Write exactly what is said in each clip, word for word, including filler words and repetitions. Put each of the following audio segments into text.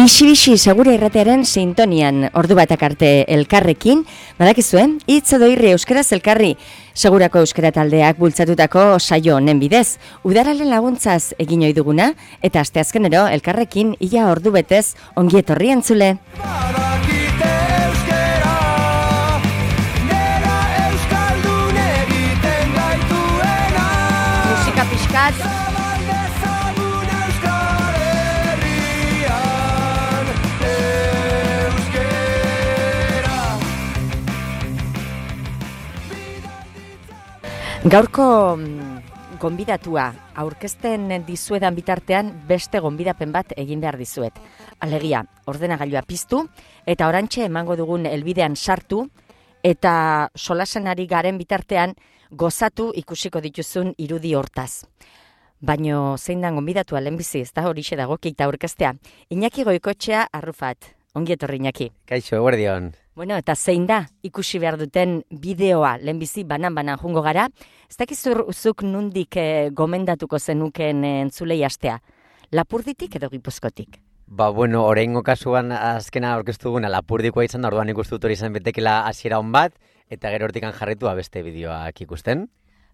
Bixi-bixi segure irratearen sintonian ordu batak arte elkarrekin, badakizuen, hitz edo irri euskaraz elkarri segurako euskara taldeak bultzatutako saio honen bidez. Udaralen laguntzaz egin ohi duguna eta asteazkenero elkarrekin ia ordu betez ongi etorri entzule. Musika pixkat. Gaurko gonbidatua aurkezten dizuedan bitartean beste gonbidapen bat egin behar dizuet. Alegia, ordenagailua piztu eta orantxe emango dugun helbidean sartu eta solasenari garen bitartean gozatu ikusiko dituzun irudi hortaz. Baino zein da gonbidatua lehenbizi, ez da horixe dago kita aurkeztea. Iñaki Goikoetxea Arrufat. Ongi etorri Iñaki. Kaixo, eguerdion. Bueno, eta zein da ikusi behar duten bideoa lehenbizi banan-banan jungo gara. Ez dakizuzuk nundik eh, gomendatuko zenuken entzulei astea. Lapurditik edo Gipuzkotik? Ba, bueno, oraingo kasuan azkena aurkeztu duguna Lapurdikoa izan da, orduan ikustu dut hori izan betekela hasiera on bat, eta gero hortikan jarritua beste bideoak ikusten.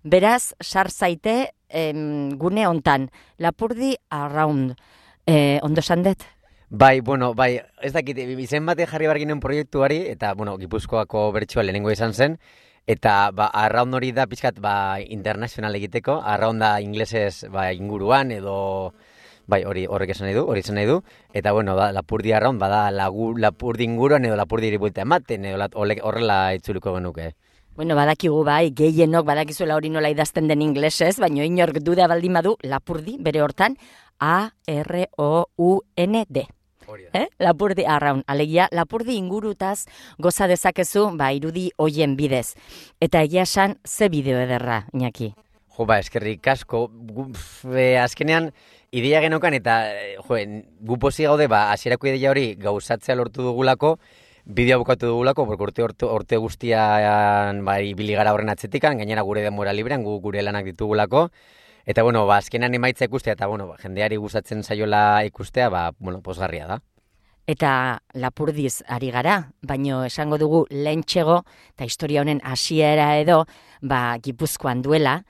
Beraz, sar zaite em, gune hontan, Lapurdi Around. Eh, ondo sandet? Bai, bueno, bai, ez dakit, izen bate jarri barginen proiektuari, eta, bueno, Gipuzkoako bertsoa lehenengo izan zen, eta, ba, arraun hori da pixkat, ba, internazional egiteko, arraun da inglesez, ba, inguruan, edo, bai, hori horrek esan nahi du, hori esan nahi du, eta, bueno, da, Lapurdi arraun, bada, lagu, Lapurdi inguruan, edo Lapurdi iribuelta ematen, edo horrela itzuliko genuke. Bueno, badakigu bai, gehienok badakizuela hori nola idazten den inglesez, baina inork duda baldin badu, Lapurdi, bere hortan, A R O U N D. Eh? Lapurdi arraun, alegia, Lapurdi ingurutaz goza dezakezu, ba, irudi hoien bidez. Eta egia esan, ze bideo ederra, Iñaki? Jo, ba, eskerrik asko, e, azkenean, ideia genokan, eta, jo, gu posi gaude, ba, hasierako ideia hori gauzatzea lortu dugulako, bideo bukatu dugulako, urte, urte, urte guztian, ba, ibili gara horren atzetikan, gainera gure denbora librean, gu gure lanak ditugulako, eta, bueno, ba, azkenan emaitza ikustea, eta, bueno, ba, jendeari gustatzen zaiola ikustea, ba, bueno, posgarria da. Eta Lapurdiz ari gara, baino esango dugu lehentxego, eta historia honen hasiera edo, ba, Gipuzkoan duela,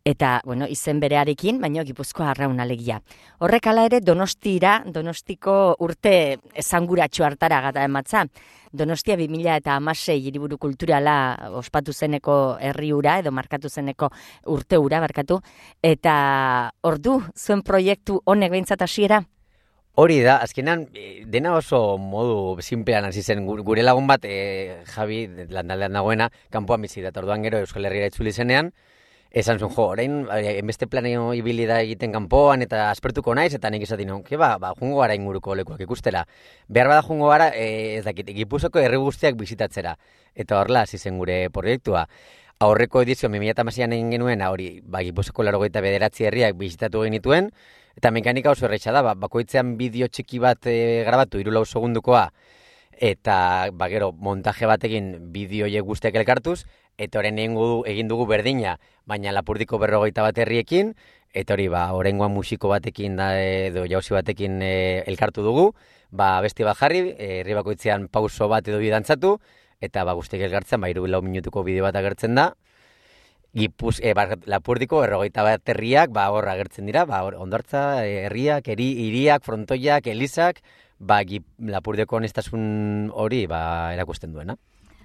eta, bueno, izen berearekin, baino Gipuzkoa arraun alegia. Horrek ala ere Donostira, Donostiko urte esanguratxo hartara gata ematza. Donostia bi mila hamasei hiriburu kulturala ospatu zeneko herri hura, edo markatu zeneko urte hura, barkatu, eta ordu, zuen proiektu honek behintzat hasiera? Hori da, azkenan, dena oso modu simplean hasi zen, gure lagun bat, e, Javi, landaldean dagoena, kanpoan bizi da, orduan gero Euskal Herriera itzuli zenean, esan zuen, jo, orain, enbeste planeo ibili da egiten kanpoan, eta aspertuko naiz, eta nik esatin, ke ba, ba, jungo gara inguruko lekuak ikustera. Behar bada jungo gara, e, ez dakit, Gipuzkoako herri guztiak bizitatzera, eta horrela hasi zen gure proiektua. Aurreko edizio, bi mila hamaseian egin genuen, hori, ba, Gipuzkoako laurogeita bederatzi herriak bizitatu genituen, eta mekanika oso erretxa da, ba, bakoitzean bideo txiki bat e, grabatu, hiru segundukoa, eta ba, gero montaje batekin bideoiek guztiak elkartuz, eta horren egin dugu berdina, baina Lapurdiko berrogeita bat herriekin, eta hori, ba, horrengoan musiko batekin da, edo jauzi batekin e, elkartu dugu, ba, besti bat jarri, herri bakoitzean pauso bat edo bidantzatu, eta ba, guztiak elkartzen, ba, hiru lau minutuko bideo bat agertzen da, Gipuz, e, ba, Lapurdiko berrogeita bat herriak, ba, hor agertzen dira, ba, Hondartza, herriak, eri, hiriak, frontoiak, elizak, ba, Gip, Lapurdiko honestasun hori, ba, erakusten duena.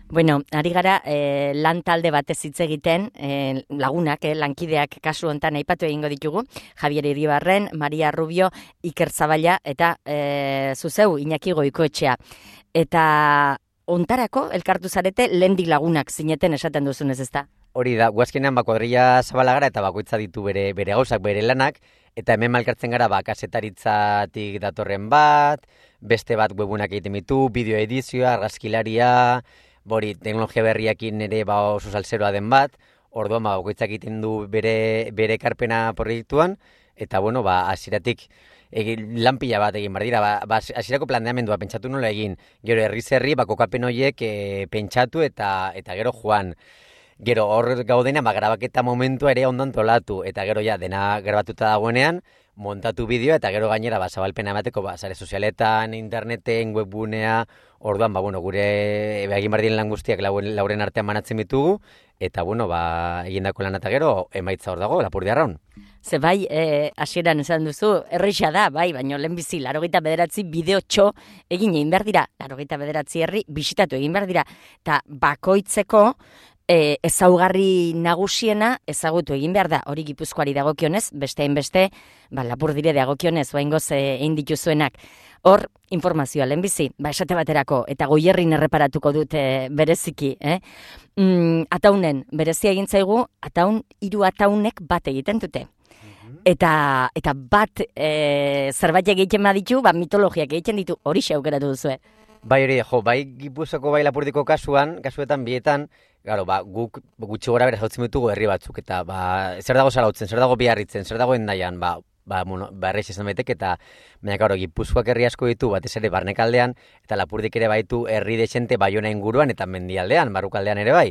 Bueno, ari gara eh, lan talde batez hitz egiten, eh, lagunak, eh, lankideak kasu hontan aipatu egingo ditugu, Javier Iribarren, Maria Rubio, Iker Zaballa, eta eh, zuzeu, Iñaki Goikoetxea. Eta ontarako elkartu zarete lehendik lagunak zineten esaten duzunez, ezta? Hori da, guazkenean ba, kuadrilla zabala gara eta bakoitza ditu bere, bere gauzak, bere lanak, eta hemen malkartzen gara ba, kasetaritzatik datorren bat, beste bat webunak egiten ditu, bideo edizioa, argazkilaria, bori, teknologia berriakin ere ba, oso salseroa den bat, orduan ba, bakoitzak egiten du bere, bere karpena proiektuan, eta bueno, ba, hasieratik egin lanpila bat egin bar dira, ba, ba hasierako planteamendua pentsatu nola egin, gero herriz herri ba, kokapen horiek e, pentsatu eta eta gero joan. Gero hor gaudena, ba, grabaketa momentua ere ondan tolatu, eta gero ja, dena grabatuta dagoenean, montatu bideoa, eta gero gainera, ba, zabalpena emateko, ba, sare sozialetan, interneten, webbunea, orduan, ba, bueno, gure egin behar diren lan guztiak lauren artean banatzen ditugu, eta, bueno, ba, egindako lan eta gero, emaitza hor dago, Lapurdi Arraun. Ze bai, eh, hasieran esan duzu, erreixa da, bai, baina lehenbizi, larogeita bederatzi bideo txo egin egin behar dira, larogeita bederatzi herri bisitatu egin behar dira, eta bakoitzeko e, ezaugarri nagusiena ezagutu egin behar da, hori Gipuzkoari dagokionez, beste hainbeste, ba, Lapurdire dagokionez, oaingoz egin dituzuenak. Hor, informazioa lehenbizi, ba, esate baterako, eta Goierrin erreparatuko dute bereziki, eh? Mm, ataunen, berezia egin zaigu, ataun, hiru ataunek bat egiten dute. Eta, eta bat e, zerbait egiten baditu, ba, mitologiak egiten ditu, hori aukeratu duzue. Bai hori, jo, bai Gipuzkoako bai Lapurdiko kasuan, kasuetan bietan, claro, ba, guk gutxi gora bera jautzen ditugu herri batzuk, eta ba, zer dago Zarautzen, zer dago Biarritzen, zer dago Hendaian, ba, ba, bueno, ba, erreix izan baitek, eta baina, claro, Gipuzkoak herri asko ditu, batez ere barnekaldean, eta Lapurdik ere baitu herri dexente Baiona inguruan, eta mendialdean, barrukaldean ere bai.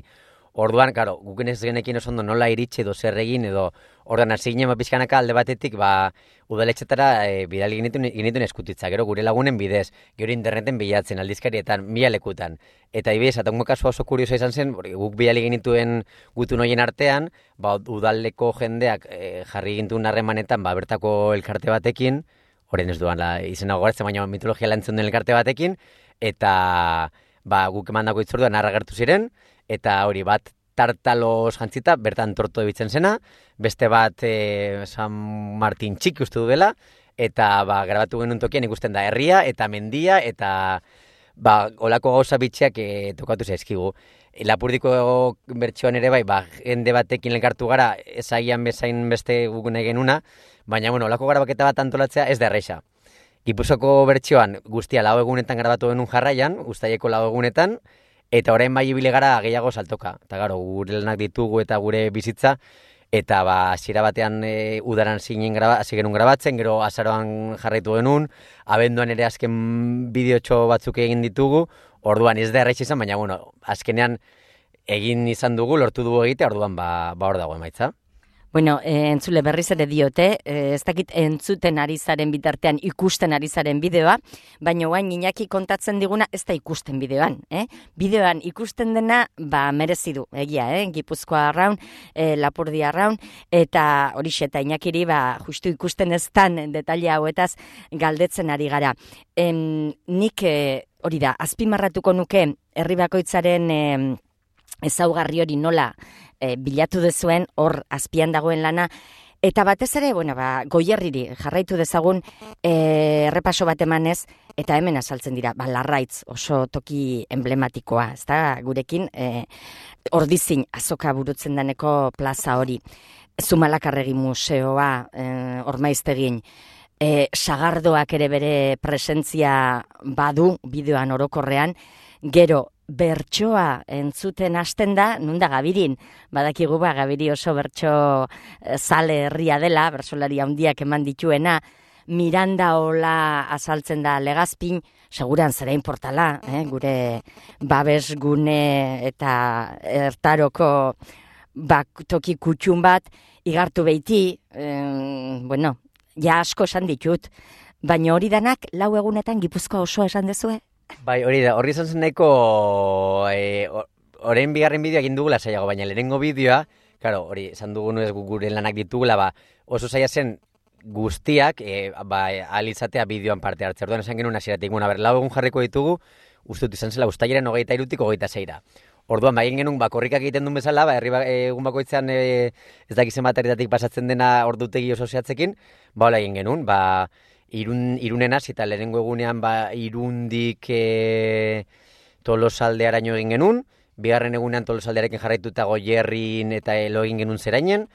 Orduan, karo, guken ez genekin oso ondo nola iritsi edo zer egin edo orduan hasi ginen ba pixkanaka alde batetik ba udaletxetara e, bidali genituen, genituen eskutitza, gero gure lagunen bidez, gero interneten bilatzen, aldizkarietan, mila lekutan. Eta ibidez, ataungo kasua oso kurioso izan zen, guk bidali genituen gutun hoien artean, ba udaleko jendeak e, jarri gintuen harremanetan ba bertako elkarte batekin, orain ez duan la, izena gogoratzen, baina mitologia lantzen den elkarte batekin, eta ba guk emandako hitzorduan narra gertu ziren, eta hori bat tartalos jantzita, bertan torto ebitzen zena, beste bat e, San Martin txiki uste du dela, eta ba, grabatu genuen tokian ikusten da herria, eta mendia, eta ba, olako gauza bitxeak e, tokatu zaizkigu. Lapurdiko bertsioan ere bai, ba, jende batekin elkartu gara, ezaian bezain beste gugune genuna, baina, bueno, olako grabaketa bat antolatzea ez da erreixa. Gipuzkoako bertsioan guztia lau egunetan grabatu genuen jarraian, uztaileko lau egunetan, eta orain bai ibile gara gehiago saltoka. Eta gero, gure lanak ditugu eta gure bizitza, eta ba, hasiera batean e, udaran zinen graba, hasi genuen grabatzen, gero azaroan jarraitu genuen, abenduan ere azken bideotxo batzuk egin ditugu, orduan ez da erraiz izan, baina bueno, azkenean egin izan dugu, lortu dugu egite, orduan ba, ba hor dago emaitza. Bueno, e, entzule berriz ere diote, e, ez dakit entzuten ari zaren bitartean ikusten ari zaren bideoa, baina guain Iñaki kontatzen diguna ez da ikusten bideoan. Eh? Bideoan ikusten dena ba, merezi du, egia, eh? Gipuzkoa Arraun, e, Lapurdi Arraun, eta horixe eta Iñakiri ba, justu ikusten ez tan detalle hauetaz galdetzen ari gara. Em, nik e, hori da, azpimarratuko nuke herri bakoitzaren e, ezaugarri hori nola e, bilatu dezuen, hor azpian dagoen lana, eta batez ere, bueno, ba, Goierriri jarraitu dezagun e, errepaso bat emanez, eta hemen azaltzen dira, ba, Larraitz oso toki emblematikoa, ezta gurekin, e, Ordizin azoka burutzen deneko plaza hori, Zumalakarregi museoa, e, Ormaiztegin, e, Sagardoak ere bere presentzia badu, bideoan orokorrean, gero, bertsoa entzuten hasten da, nunda Gabirin, badakigu ba, Gabiri oso bertso zale herria dela, bertsolari handiak eman dituena, Miranda Ola azaltzen da Legazpin, seguran zera portala, eh? Gure babesgune eta ertaroko bak, toki kutxun bat, igartu beiti, eh, bueno, ja asko esan ditut, baina hori danak lau egunetan Gipuzkoa osoa esan dezue? Bai, hori da, horri izan zeneko, e, orain bigarren bideoa egin dugula saiago, baina lehenengo bideoa, claro, hori, esan dugun ez gure lanak ditugula, ba, oso saia zen guztiak, e, ba, alitzatea bideoan parte hartze. Orduan esan genuen hasieratik, bueno, ber, lau egun jarriko ditugu, uste dut izan zela, ustailaren hogeita irutik hogeita zeira. Orduan, ba, egin genuen, ba, korrikak egiten duen bezala, ba, herri ba, egun bakoitzean e, ez dakizen bateritatik pasatzen dena ordutegi oso zehatzekin, ba, hola egin genuen, ba, Irun, irunen hasi eta lehenengo egunean ba, irundik e, Tolosaldearaino egin genuen, bigarren egunean Tolosaldearekin jarraituta Goierrin eta elo egin genuen zerainen,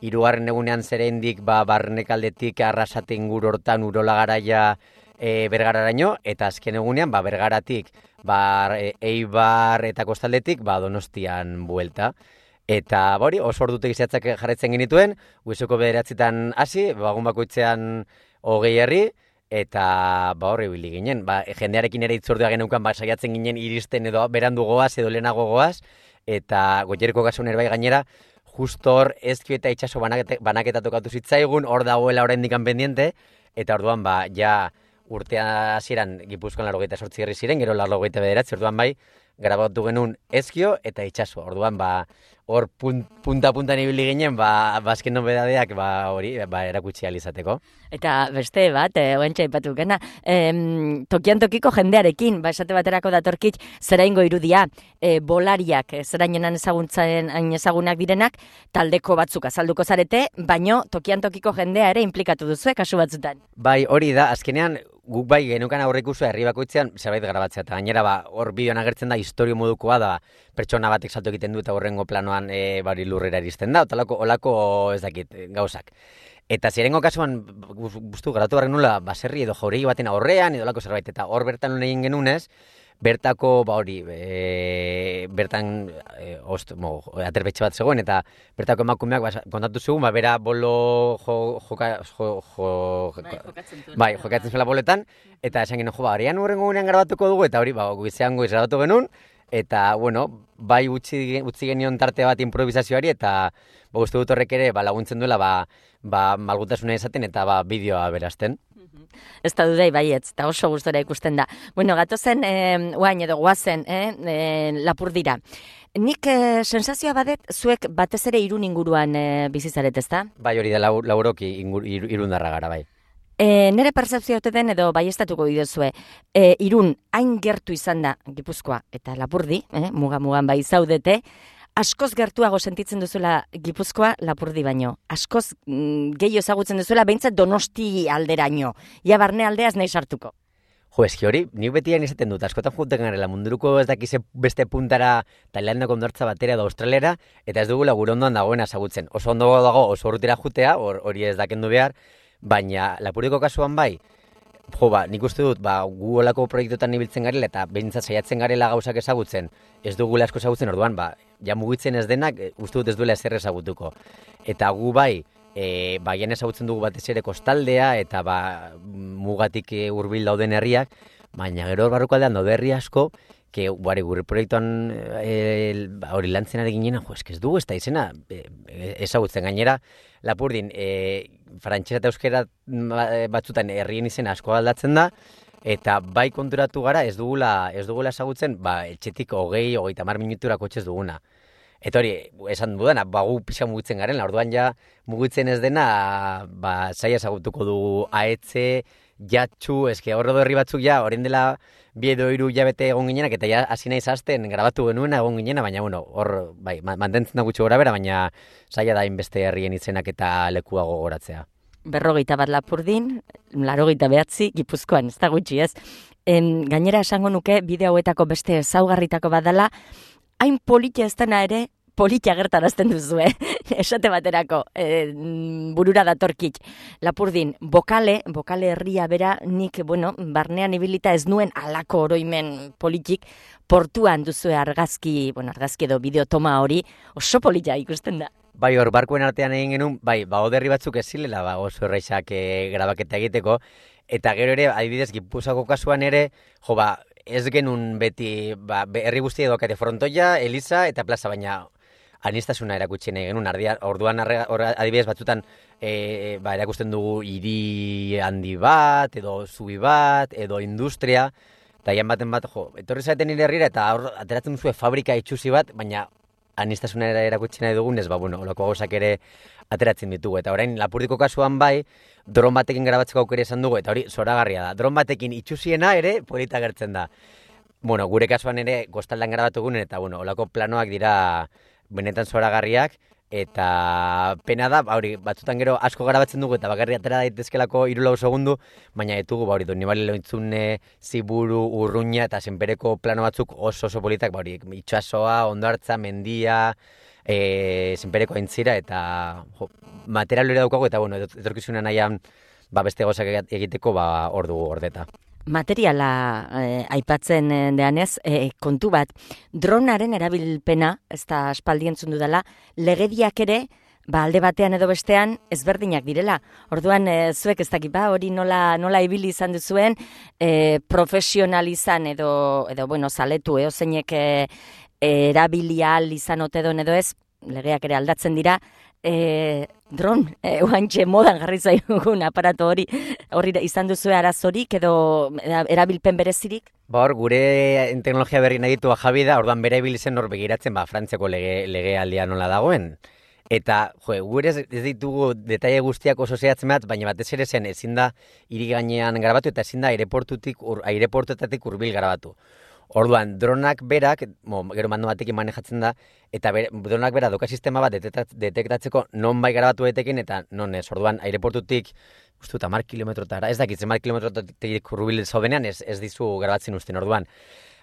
hirugarren egunean zerendik ba, barnekaldetik Arrasate inguru hortan Urola Garaia e, Bergararaino, eta azken egunean ba, Bergaratik ba, e, Eibar eta Kostaldetik ba, Donostian buelta. Eta hori oso ordutegi zehatzak jarraitzen genituen, goizeko bederatzitan hasi, bagun bakoitzean hogei herri, eta ba horri bili ginen. Ba, jendearekin ere itzordua geneukan, ba, saiatzen ginen iristen edo berandu goaz edo lehenago goaz, eta Goierriko kasuan ere bai gainera, justo hor ezkio eta itxaso banaketa, banaketa tokatu zitzaigun, hor dagoela oraindik pendiente, eta orduan ba, ja urtea hasieran Gipuzkoan laurogeita zortzi herri ziren, gero laurogeita bederatzi, orduan bai, grabatu genuen ezkio eta itxaso. Orduan ba, hor punt, punta-puntan ibili ginen, ba, bazken nobedadeak ba, hori ba, erakutsi alizateko. Eta beste bat, e, oentxe ipatu gena, e, tokian tokiko jendearekin, ba, esate baterako datorkit, zeraingo irudia, e, bolariak, e, zerainenan ezaguntzen ezagunak direnak, taldeko batzuk azalduko zarete, baino tokian tokiko jendea ere implikatu duzu, kasu batzutan. Bai, hori da, azkenean, guk bai genukan aurreikusua herri bakoitzean zerbait grabatzea, eta gainera ba, hor bideoan agertzen da historio modukoa da, pertsona batek salto egiten du eta horrengo planoan e, bari lurrera iristen da, olako, olako ez dakit, gauzak. Eta zirengo kasuan, guztu, garatu barren nula, baserri edo jauregi baten aurrean, edo olako zerbait, eta hor bertan egin genunez, bertako, ba hori, e, bertan e, ost, mo, aterbetxe bat zegoen, eta bertako emakumeak ba, kontatu zugun, ba, bera bolo jo, joka, jo, jo, bai, jokatzen zuen. Bai, jokatzen zuela boletan, eta esan genuen, jo, ba, horian urrengo gunean grabatuko dugu, eta hori, ba, guizean goiz grabatu genuen, eta, bueno, bai utzi, utzi genion tarte bat improvisazioari, eta ba, uste dut horrek ere ba, laguntzen duela ba, ba, malgutasuna izaten eta ba, bideoa berazten. Ez da dudai baietz, eta oso gustora ikusten da. Bueno, gatozen, eh, oain edo guazen, eh, eh, Lapurdira. Nik eh, sensazioa badet, zuek batez ere irun inguruan eh, bizizaret, ez da? Bai, hori da, lau, lauroki ingur, ir, irundarra gara, bai. E, nere percepzio ote den edo baiestatuko bidezue, e, irun hain gertu izan da Gipuzkoa eta Lapurdi, eh, muga-mugan bai zaudete, askoz gertuago sentitzen duzuela Gipuzkoa Lapurdi baino. Askoz mm, gehiago ezagutzen duzuela behintzat Donosti alderaino. Ja barne aldeaz nahi sartuko. Jo, eski hori, nik betian izaten dut, askotan juten garela, munduruko ez dakize beste puntara Tailandako ondartza batera edo Australiara, eta ez dugula gure ondoan dagoena ezagutzen. Oso ondo dago, oso urrutira jutea, hori ez dakendu behar, baina Lapurdiko kasuan bai, jo, ba, nik uste dut, ba, gu olako proiektuetan ibiltzen garela eta behintzat saiatzen garela gauzak ezagutzen, ez dugula asko ezagutzen orduan, ba, ja mugitzen ez denak, uste dut ez duela ezer ezagutuko. Eta gu bai, e, ba, jan ezagutzen dugu batez ere kostaldea, eta ba, mugatik e, hurbil dauden herriak, baina gero hor barruko aldean daude herri asko, que bari, gure proiektuan e, hori lantzen ari ginen, jo, ez dugu ez da izena e, ezagutzen gainera, Lapurdin, e, frantxera eta euskera batzutan herrien izena asko aldatzen da, eta bai konturatu gara ez dugula, ez dugula ezagutzen, ba, etxetik hogei, hogeita hamar minutura kotxez duguna. Eta hori, esan dudana, ba, gu pixa mugitzen garen, orduan ja mugitzen ez dena, ba, zaila ezagutuko dugu ahetze, jatxu, eske horre herri batzuk ja, orain dela bi edo hiru hilabete egon ginenak, eta ja hasi naiz hasten grabatu genuena egon ginena, baina bueno, hor bai, mantentzen da gutxi gora bera, baina zaila da inbeste herrien izenak eta lekua gogoratzea. Berrogeita bat Lapurdin, larogeita behatzi, Gipuzkoan, ez da gutxi ez. En, gainera esango nuke, bideo hauetako beste ezaugarritako badala, hain politia ez dena ere, politia gertarazten duzu, eh? Esate baterako, e, burura datorkit. Lapurdin, bokale, bokale herria bera, nik, bueno, barnean ibilita ez nuen alako oroimen politik, portuan duzue argazki, bueno, argazki edo bideotoma hori, oso politia ikusten da. Bai, hor, barkuen artean egin genuen, bai, ba, oderri batzuk ez zilela, ba, oso erraisak e, grabaketa egiteko, eta gero ere, adibidez, Gipuzako kasuan ere, jo, ba, ez genuen beti, ba, herri guztia edokate frontoia, Eliza eta plaza, baina anistasuna erakutsi nahi genuen, ardia, orduan arre, or, adibidez batzutan e, ba, erakusten dugu hiri handi bat, edo zubi bat, edo industria, eta ian baten bat, jo, etorri zaten nire herrira, eta hor, ateratzen duzue fabrika itxusi bat, baina anistasuna erakutsi nahi dugun, ez ba, bueno, olako gauzak ere ateratzen ditugu, eta orain Lapurdiko kasuan bai, dron batekin grabatzeko aukera izan dugu, eta hori zoragarria da, dron batekin itxusiena ere polita gertzen da. Bueno, gure kasuan ere kostaldan grabatu gunen, eta bueno, olako planoak dira benetan zoragarriak, eta pena da, ba, hori, batzutan gero asko garabatzen dugu, eta bakarri atera daitezkelako hiru lau segundu, baina ditugu, ba, hori, Donibane Lointzune, Ziburu, Urruña, eta zenpereko plano batzuk oso oso politak, ba, hori, itxasoa, Hondartza, mendia, e, zenpereko aintzira, eta jo, material hori daukagu, eta bueno, etorkizuna nahian, ba, beste gozak egiteko, ba, hor dugu gordeta. Materiala eh, aipatzen deanez, eh, kontu bat, dronaren erabilpena, ez da aspaldi entzun dudala, legediak ere, ba, alde batean edo bestean ezberdinak direla. Orduan, eh, zuek ez dakit, ba, hori nola, nola ibili izan duzuen, eh, profesional izan edo, edo bueno, zaletu, eo zeinek eh, erabilia izan ote don edo ez, legeak ere aldatzen dira, e, dron, e, oantxe modan jarri zaigun aparato hori, hori izan duzu arazorik edo erabilpen berezirik? Ba hor, gure teknologia berri nahi ditu Javi da, orduan bere ibiltzen hor begiratzen, ba, Frantziako lege, legealdia nola dagoen. Eta, jo, gure ez, ez ditugu detaile guztiak oso zehatzen bat, baina batez ere zen ezin da hiri gainean grabatu eta ezin da aireportutik, ur, aireportuetatik hurbil grabatu. Orduan, dronak berak, mo, gero mando batekin manejatzen da, eta ber, dronak berak doka sistema bat detektatzeko non bai grabatu daitekin eta non ez. Orduan, aireportutik, uste dut, hamar kilometrotara, ez dakit, hamar kilometrotatik hurbil zaudenean ez, ez dizu grabatzen usten. Orduan,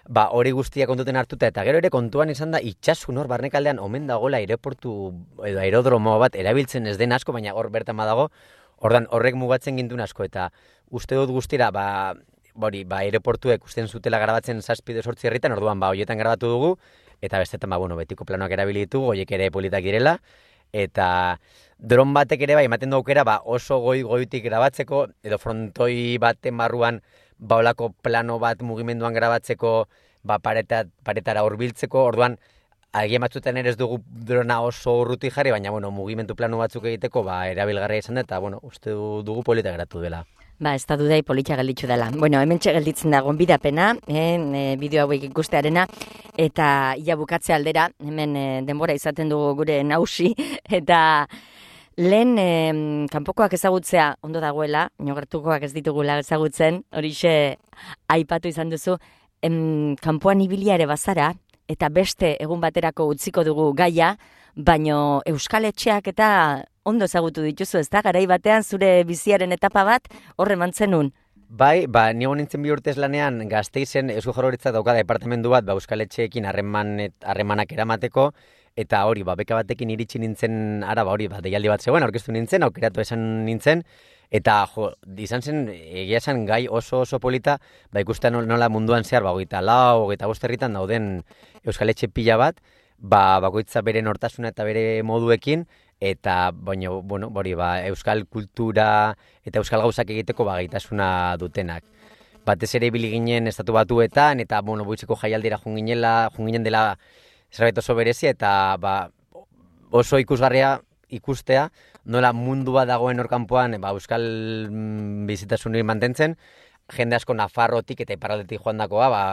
ba, hori guztia kontuten hartuta, eta gero ere kontuan izan da, itxasun hor barnekaldean omen dagoela aireportu edo aerodromo bat erabiltzen ez den asko, baina hor bertan badago, orduan horrek mugatzen gintuen asko, eta uste dut guztira, ba, Bori, ba, aeroportuek usten zutela grabatzen zazpide sortzi herritan, orduan, ba, hoietan grabatu dugu, eta bestetan, ba, bueno, betiko planoak erabili ditugu, hoiek ere politak direla, eta dron batek ere, ba, ematen du aukera, ba, oso goi-goitik grabatzeko, edo frontoi baten barruan, ba, olako plano bat mugimenduan grabatzeko, ba, pareta, paretara hurbiltzeko, orduan, agian batzuetan ere ez dugu drona oso urruti jarri, baina, bueno, mugimendu plano batzuk egiteko, ba, erabilgarria izan da, eta, bueno, uste dugu politak geratu dela. Ba, ez da dudai politxa gelditzu dela. Bueno, hemen gelditzen da gonbidapena, eh, e, bideo hauek ikustearena, eta ia bukatze aldera, hemen e, denbora izaten dugu gure nausi, eta lehen e, kanpokoak ezagutzea ondo dagoela, inogertukoak ez ditugula ezagutzen, horixe aipatu izan duzu, em, kanpoan ibilia ere bazara, eta beste egun baterako utziko dugu gaia, baino Euskal Etxeak eta ondo ezagutu dituzu, ez da? Garai batean zure biziaren etapa bat horre mantzenun. Bai, ba, nigo nintzen bi urtez lanean Gasteizen Eusko Jaurlaritzak dauka departamentu bat, ba, Euskal Etxeekin harreman, harremanak eramateko, eta hori, ba, beka batekin iritsi nintzen, ara, ba, hori, ba, deialdi bat zegoen, aurkeztu nintzen, aukeratu esan nintzen, eta, jo, izan zen, egia esan gai oso oso polita, ba, ikusten nola munduan zehar, ba, hogeita lau, hogeita bost herritan dauden Euskal Etxe pila bat, ba, bakoitza bere nortasuna eta bere moduekin, eta baino, bueno, hori, ba, euskal kultura eta euskal gauzak egiteko ba, gaitasuna dutenak. Batez ere ibili ginen estatu batuetan, eta, bueno, boitzeko jaialdira junginela, junginen dela zerbait oso berezia, eta ba, oso ikusgarria ikustea, nola mundua dagoen orkanpoan ba, euskal bizitasunik mantentzen, jende asko Nafarrotik eta iparraldetik joandakoa, ba,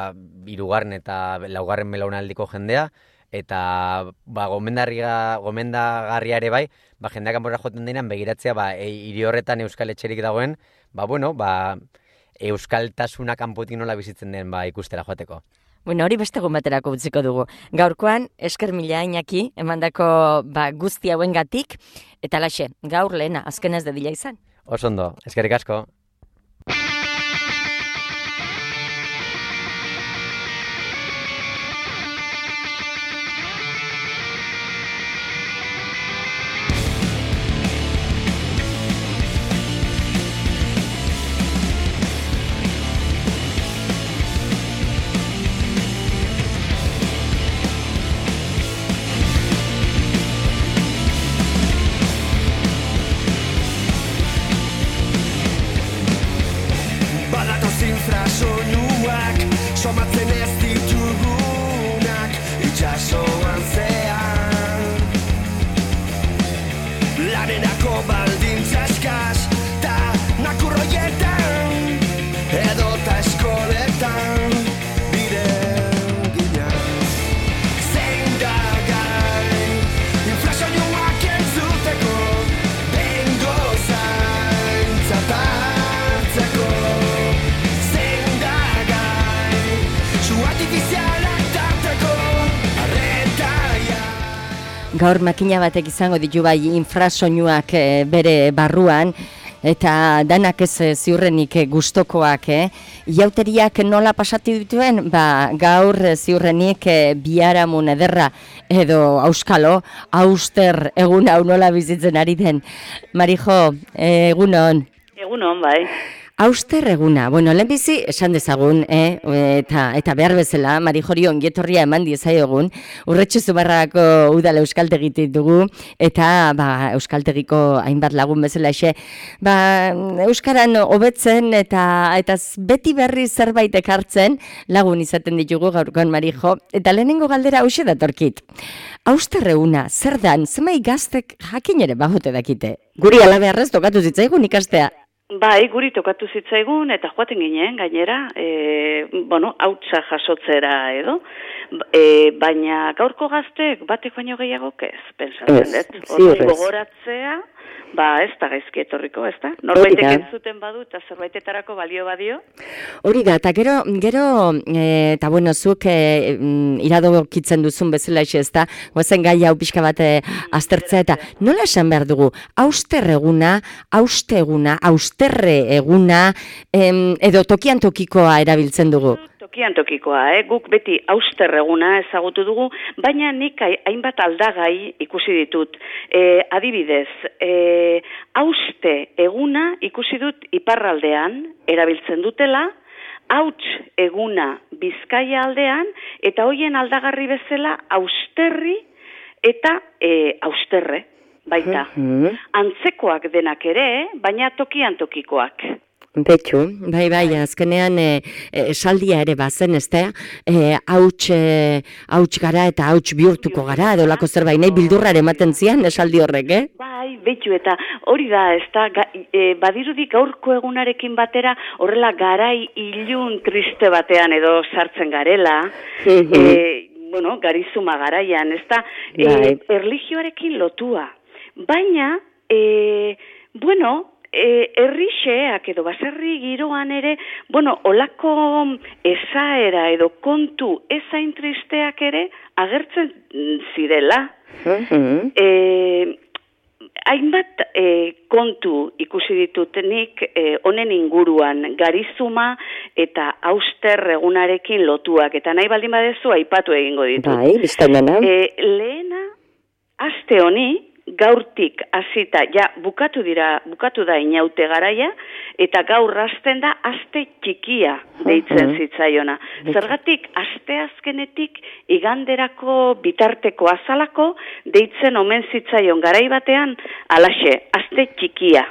hirugarren eta laugarren belaunaldiko jendea, eta ba, gomendarria, gomendagarria ere bai, ba, jendeak kanpora joten denean begiratzea ba, hiri horretan euskal etxerik dagoen, ba, bueno, ba, euskaltasuna kanpotik nola bizitzen den ba, ikustera joateko. Bueno, hori beste egun baterako utziko dugu. Gaurkoan, esker mila Iñaki, emandako ba, guzti hauengatik, eta laxe, gaur lehena, azkenez dedila izan. Oso ondo, eskerrik asko. Somatzen ez ditugunak itxasoan zean lanerako baldintza eskas ta nakurroietan edo ta eskoletan biren ginaz zein da gai inflazioak entzuteko bengo zaintzat hartzeko Gaur makina batek izango ditu bai infrasoinuak e, bere barruan, eta danak ez ziurrenik gustokoak, eh? Iauteriak nola pasatu dituen? Ba, gaur ziurrenik e, biharamun ederra edo auskalo, auster egun hau nola bizitzen ari den. Marijo, egunon. Egunon, bai. Auster eguna, bueno, lehenbizi esan dezagun, eh? eta, eta behar bezala, Marijori ongietorria eman diezaiogun, Urretxu Zumarragako udala euskaltegitik dugu, eta ba, euskaltegiko hainbat lagun bezala exe, ba, euskaran hobetzen eta eta beti berri zerbait ekartzen lagun izaten ditugu gaurkoan Marijo, eta lehenengo galdera hauxe datorkit. Auster eguna, zer dan, zemai gaztek jakin ere bajote dakite? Guri alabearrez tokatu zitzaigun ikastea. Bai, guri tokatu zitzaigun eta joaten ginen gainera, e, bueno, hautsa jasotzera edo, e, baina gaurko gaztek batek baino gehiagok ez, pensatzen dut. Hori gogoratzea, ba ez da gaizki etorriko, ez da? Norbaitek entzuten badu eta zerbaitetarako balio badio. Hori da, eta gero, gero eta bueno, zuk e, iradokitzen duzun bezala ez da, goazen gai hau pixka bat aztertzea eta nola esan behar dugu, auster eguna, auste eguna, austerre eguna, em, edo tokian tokikoa erabiltzen dugu? Tokian tokikoa, eh? Guk beti auster eguna ezagutu dugu, baina nik hainbat aldagai ikusi ditut. E, adibidez, e, auste eguna ikusi dut iparraldean erabiltzen dutela, hauts eguna Bizkaia aldean, eta hoien aldagarri bezala austerri eta e, austerre, baita. Mm-hmm. Antzekoak denak ere, baina tokian tokikoak. Betxu, bai, bai, azkenean esaldia ere bazen, ez da, hauts e, e, gara eta hauts bihurtuko gara, edo lako zerbait nahi bildurrare ematen zian esaldi horrek, eh? Bai, betxu, eta hori da, ez da, e, badirudik gaurko egunarekin batera, horrela garai ilun triste batean edo sartzen garela, mm-hmm. e, bueno, garizuma garaian, ez da, e, erlijioarekin lotua, baina, e, bueno, E, errixeak edo baserri giroan ere, bueno, olako esaera edo kontu ezain tristeak ere agertzen zirela. Mm-hmm. e, hainbat e, kontu ikusi ditutenik honen e, inguruan, garizuma eta auster egunarekin lotuak, eta nahi baldin badezu aipatu egingo ditut. Bai, biztan dena. E, lehena, aste honi, gaurtik hasita, ja, bukatu dira, bukatu da inaute garaia, eta gaur hasten da aste txikia deitzen zitzaiona. Zergatik, aste azkenetik iganderako bitarteko azalako deitzen omen zitzaion garai batean, alaxe, aste txikia.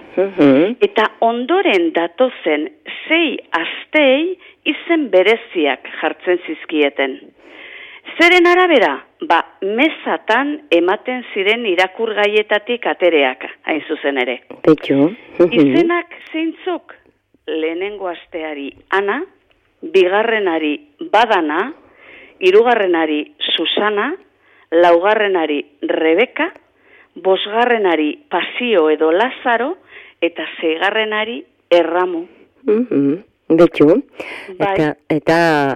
Eta ondoren datozen sei astei izen bereziak jartzen zizkieten. Zeren arabera, ba, mesatan ematen ziren irakurgaietatik atereak, hain zuzen ere. Betxo. Izenak zeintzuk, lehenengo asteari Ana, bigarrenari Badana, hirugarrenari Susana, laugarrenari Rebeka, bosgarrenari Pasio edo Lazaro, eta seigarrenari Erramu. Mhm. Betxu, bai. eta, eta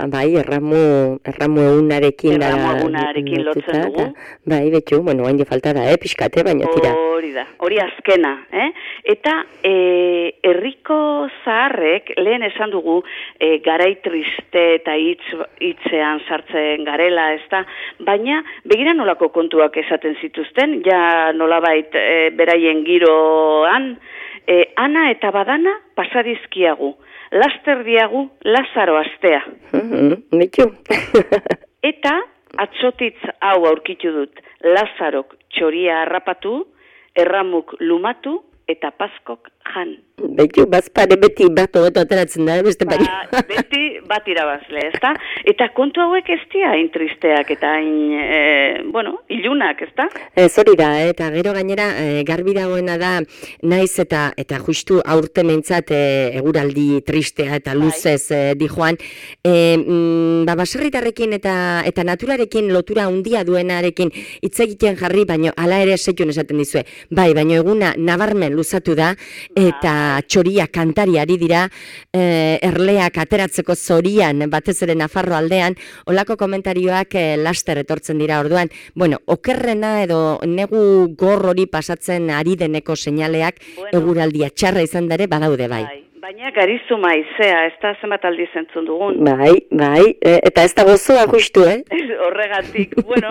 bai, erramu, erramu egunarekin erramu egunarekin lotzen dugu. Bai, betxu, bueno, hain falta da, eh, pixkate, baina tira. Hori da, hori azkena, eh? Eta e, herriko zaharrek, lehen esan dugu, e, garai triste eta hitz, hitzean sartzen garela, ez da? Baina, begira nolako kontuak esaten zituzten, ja nolabait e, beraien giroan, e, Ana eta Badana pasadizkiagu. Laster diagu Lazaro astea. Betxu. Eta atzotitz hau aurkitu dut. Lazarok txoria harrapatu, Erramuk lumatu, eta Paskok jan. Betxu, bazpare beti bat hobeto ateratzen da, beste baina. Ba, beti bat irabazle, ezta? Eta kontu hauek ez dira hain tristeak eta hain, e, bueno, ilunak, ezta? Ez hori da, eta gero gainera e, garbi dagoena da, naiz eta eta justu aurten eintzat e, eguraldi tristea eta luzez e, di joan, e, mm, ba, baserritarrekin eta eta naturarekin lotura handia duenarekin hitz egiten jarri, baino hala ere seitun esaten dizue. Bai, baino eguna nabarmen luzatu da, eta txoria kantari ari dira, e, erleak ateratzeko zorian, batez ere Nafarro aldean, olako komentarioak e, laster etortzen dira orduan. Bueno, okerrena edo negu gor hori pasatzen ari deneko seinaleak, bueno, eguraldia txarra izan dare badaude bai. bai. Baina garizuma izea, ez da zenbat aldiz entzun dugun. Bai, bai, e, eta ez da gozoa justu, eh? Horregatik, bueno,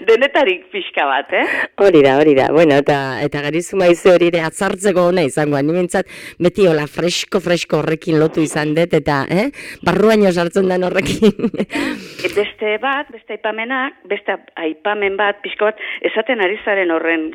denetarik pixka bat, eh? Hori da, hori da, bueno, eta, eta garizuma ize hori ere atzartzeko ona izango, ni mintzat beti hola fresko-fresko horrekin lotu izan dut, eta, eh? Barruaino sartzen den horrekin. Beste bat, beste aipamenak, beste aipamen bat, pixka bat, esaten ari zaren horren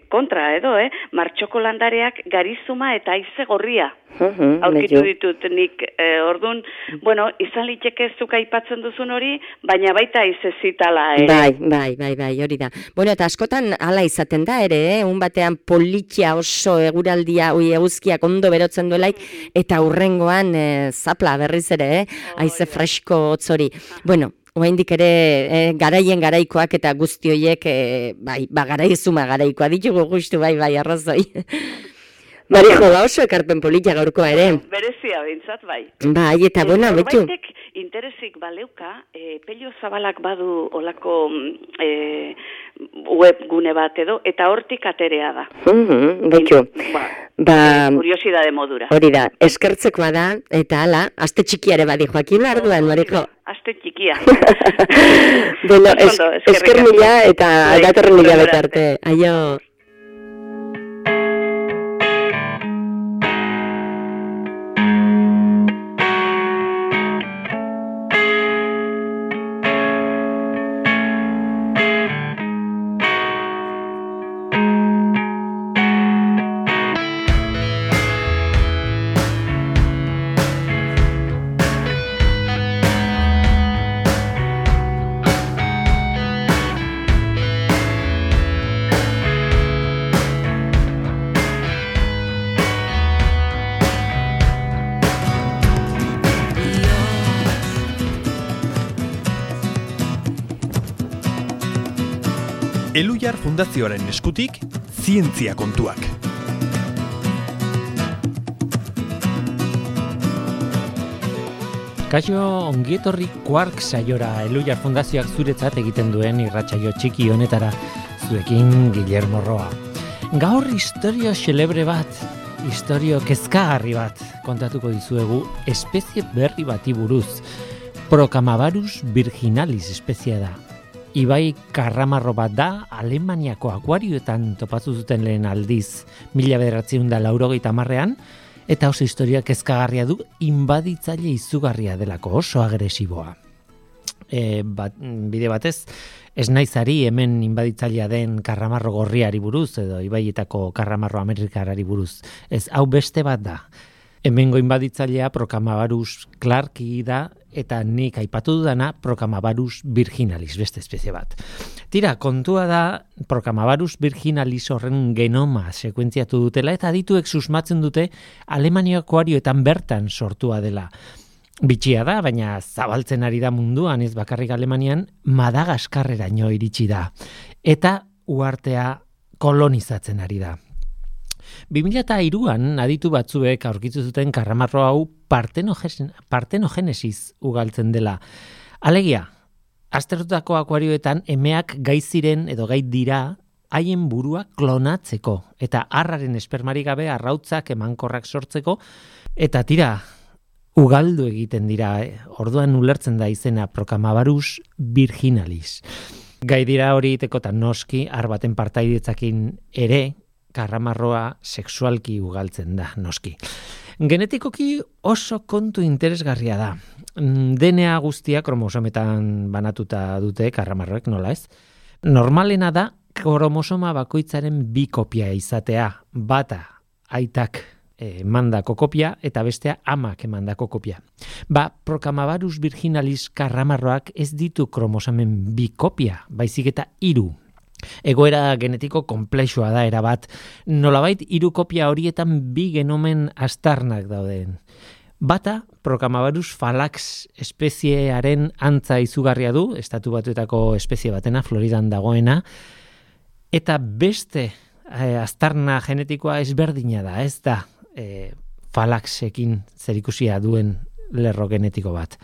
kontra edo, eh? Martxoko landareak garizuma eta haize gorria. Uh-huh, aurkitu ditut nik eh, ordun, bueno, izan liteke zuk aipatzen duzun hori, baina baita izezitala ere. Bai, bai, bai, bai, hori da. Bueno, eta askotan hala izaten da ere, eh? Un batean politia oso eguraldia, ui, eguzkiak ondo berotzen duelaik, eta hurrengoan eh, zapla berriz ere, eh? Haize fresko hotzori. Bueno, oraindik ere eh, garaien garaikoak eta guzti horiek, eh, bai, ba, garaizuma garaikoa ditugu justu, bai, bai, arrazoi. Marijo, ba oso ekarpen polita gaurkoa ere. Berezia bintzat, bai. Bai, eta bona, betu. Norbaitek interesik baleuka, e, pelio zabalak badu olako e, web gune bat edo, eta hortik aterea da. Uh-huh, betu. Ba, ba, e, kuriosidade modura. Hori da, eskertzekoa da, eta hala, aste txikiare badi Joakin Larduan, Marijo. Aste txikia. Bueno, es, esker mila eta datorren mila betarte. Aio. Elhuyar Fundazioaren eskutik, zientzia kontuak. Kaixo, ongietorri Quark saiora Elhuyar Fundazioak zuretzat egiten duen irratsaio txiki honetara, zuekin Guillermo Roa. Gaur historio xelebre bat, historio kezkagarri bat kontatuko dizuegu espezie berri bati buruz. Procamabarus virginalis espeziea da. Ibai karramarro bat da, Alemaniako akuarioetan topatu zuten lehen aldiz, mila bederatziehun eta laurogeita hamarrean, eta oso historia kezkagarria du, inbaditzaile izugarria delako, oso agresiboa. E, bat, bide batez, ez naizari hemen inbaditzailea den karramarro gorriari buruz, edo ibaietako karramarro amerikarari buruz. Ez, hau beste bat da. Hemengo inbaditzailea Procamabarus clarki da, eta nik aipatu dudana Procamabarus virginalis, beste espezie bat. Tira, kontua da Procamabarus virginalis horren genoma sekuentziatu dutela, eta adituek susmatzen dute Alemania akuarioetan bertan sortua dela. Bitxia da, baina zabaltzen ari da munduan, ez bakarrik Alemanian, Madagaskarreraino iritsi da. Eta uhartea kolonizatzen ari da. bi mila hiruan aditu batzuek aurkitu zuten karramarro hau partenogenesiz ugaltzen dela. Alegia, aztertutako akuarioetan emeak gai ziren edo gai dira haien burua klonatzeko eta arraren espermarik gabe arrautzak emankorrak sortzeko eta tira, ugaldu egiten dira, orduan ulertzen da izena Procamabarus virginalis. Gai dira hori itekotan noski, ar baten partaidetzakin ere, karramarroa sexualki ugaltzen da, noski. Genetikoki oso kontu interesgarria da. D N A guztia kromosometan banatuta dute karramarroek, nola ez? Normalena da kromosoma bakoitzaren bi kopia izatea, bata aitak emandako kopia eta bestea amak emandako kopia. Ba, Procamabarus virginalis karramarroak ez ditu kromosomen bi kopia, baizik eta hiru. Egoera genetiko konplexua da erabat, nolabait hiru kopia horietan bi genomen aztarnak dauden. Bata, Procamabarus phalax espeziearen antza izugarria du, estatu batuetako espezie batena, Floridan dagoena, eta beste eh, aztarna genetikoa ezberdina da, ez da eh, phalaxekin zerikusia duen lerro genetiko bat.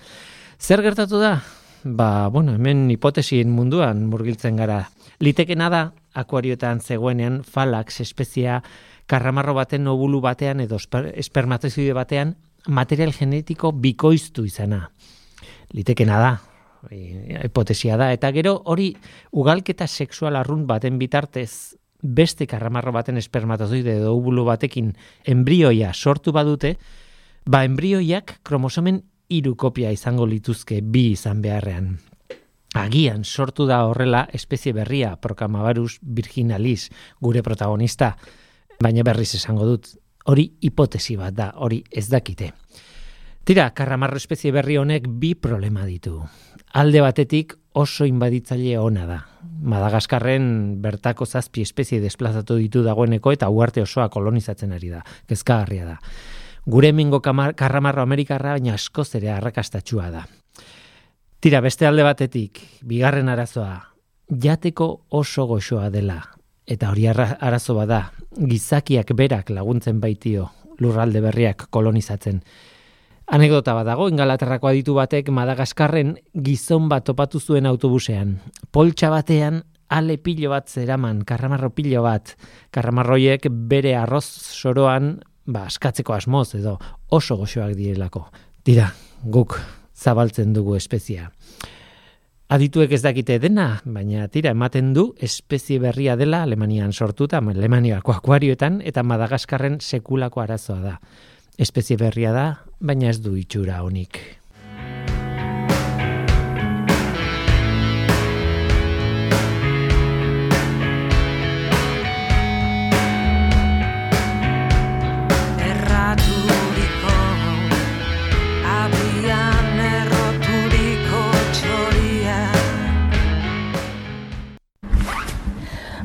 Zer gertatu da? Ba, bueno, hemen hipotesien munduan murgiltzen gara. Litekena da, akuarioetan zegoenean phalax espeziea karramarro baten obulu batean edo espermatozoide batean material genetiko bikoiztu izana. Litekena da, hipotesia da, eta gero hori ugalketa sexual arrunt baten bitartez beste karramarro baten espermatozoide edo obulu batekin embrioia sortu badute, ba embrioiak kromosomen hiru kopia izango lituzke bi izan beharrean. Agian sortu da horrela espezie berria, Procamabarus virginalis, gure protagonista, baina berriz esango dut, hori hipotesi bat da, hori ez dakite. Tira, karramarro espezie berri honek bi problema ditu. Alde batetik oso inbaditzaile ona da. Madagaskarren bertako zazpi espezie desplazatu ditu dagoeneko eta uarte osoa kolonizatzen ari da. Kezkagarria da. Gure hemengo karramarro amerikarra baina askoz ere arrakastatsua da. Tira, beste alde batetik, bigarren arazoa, jateko oso goxoa dela. Eta hori arazo bada, gizakiak berak laguntzen baitio lurralde berriak kolonizatzen. Anekdota bat dago, Ingalaterrako aditu batek Madagaskarren gizon bat topatu zuen autobusean. Poltsa batean ale pilo bat zeraman, karramarro pilo bat. Karramarroiek bere arroz soroan ba, askatzeko asmoz edo oso goxoak direlako. Dira, guk zabaltzen dugu espezia. Adituek ez dakite dena, baina tira ematen du espezie berria dela Alemanian sortuta, Alemaniako akuarioetan eta Madagaskarren sekulako arazoa da. Espezie berria da, baina ez du itxura honik.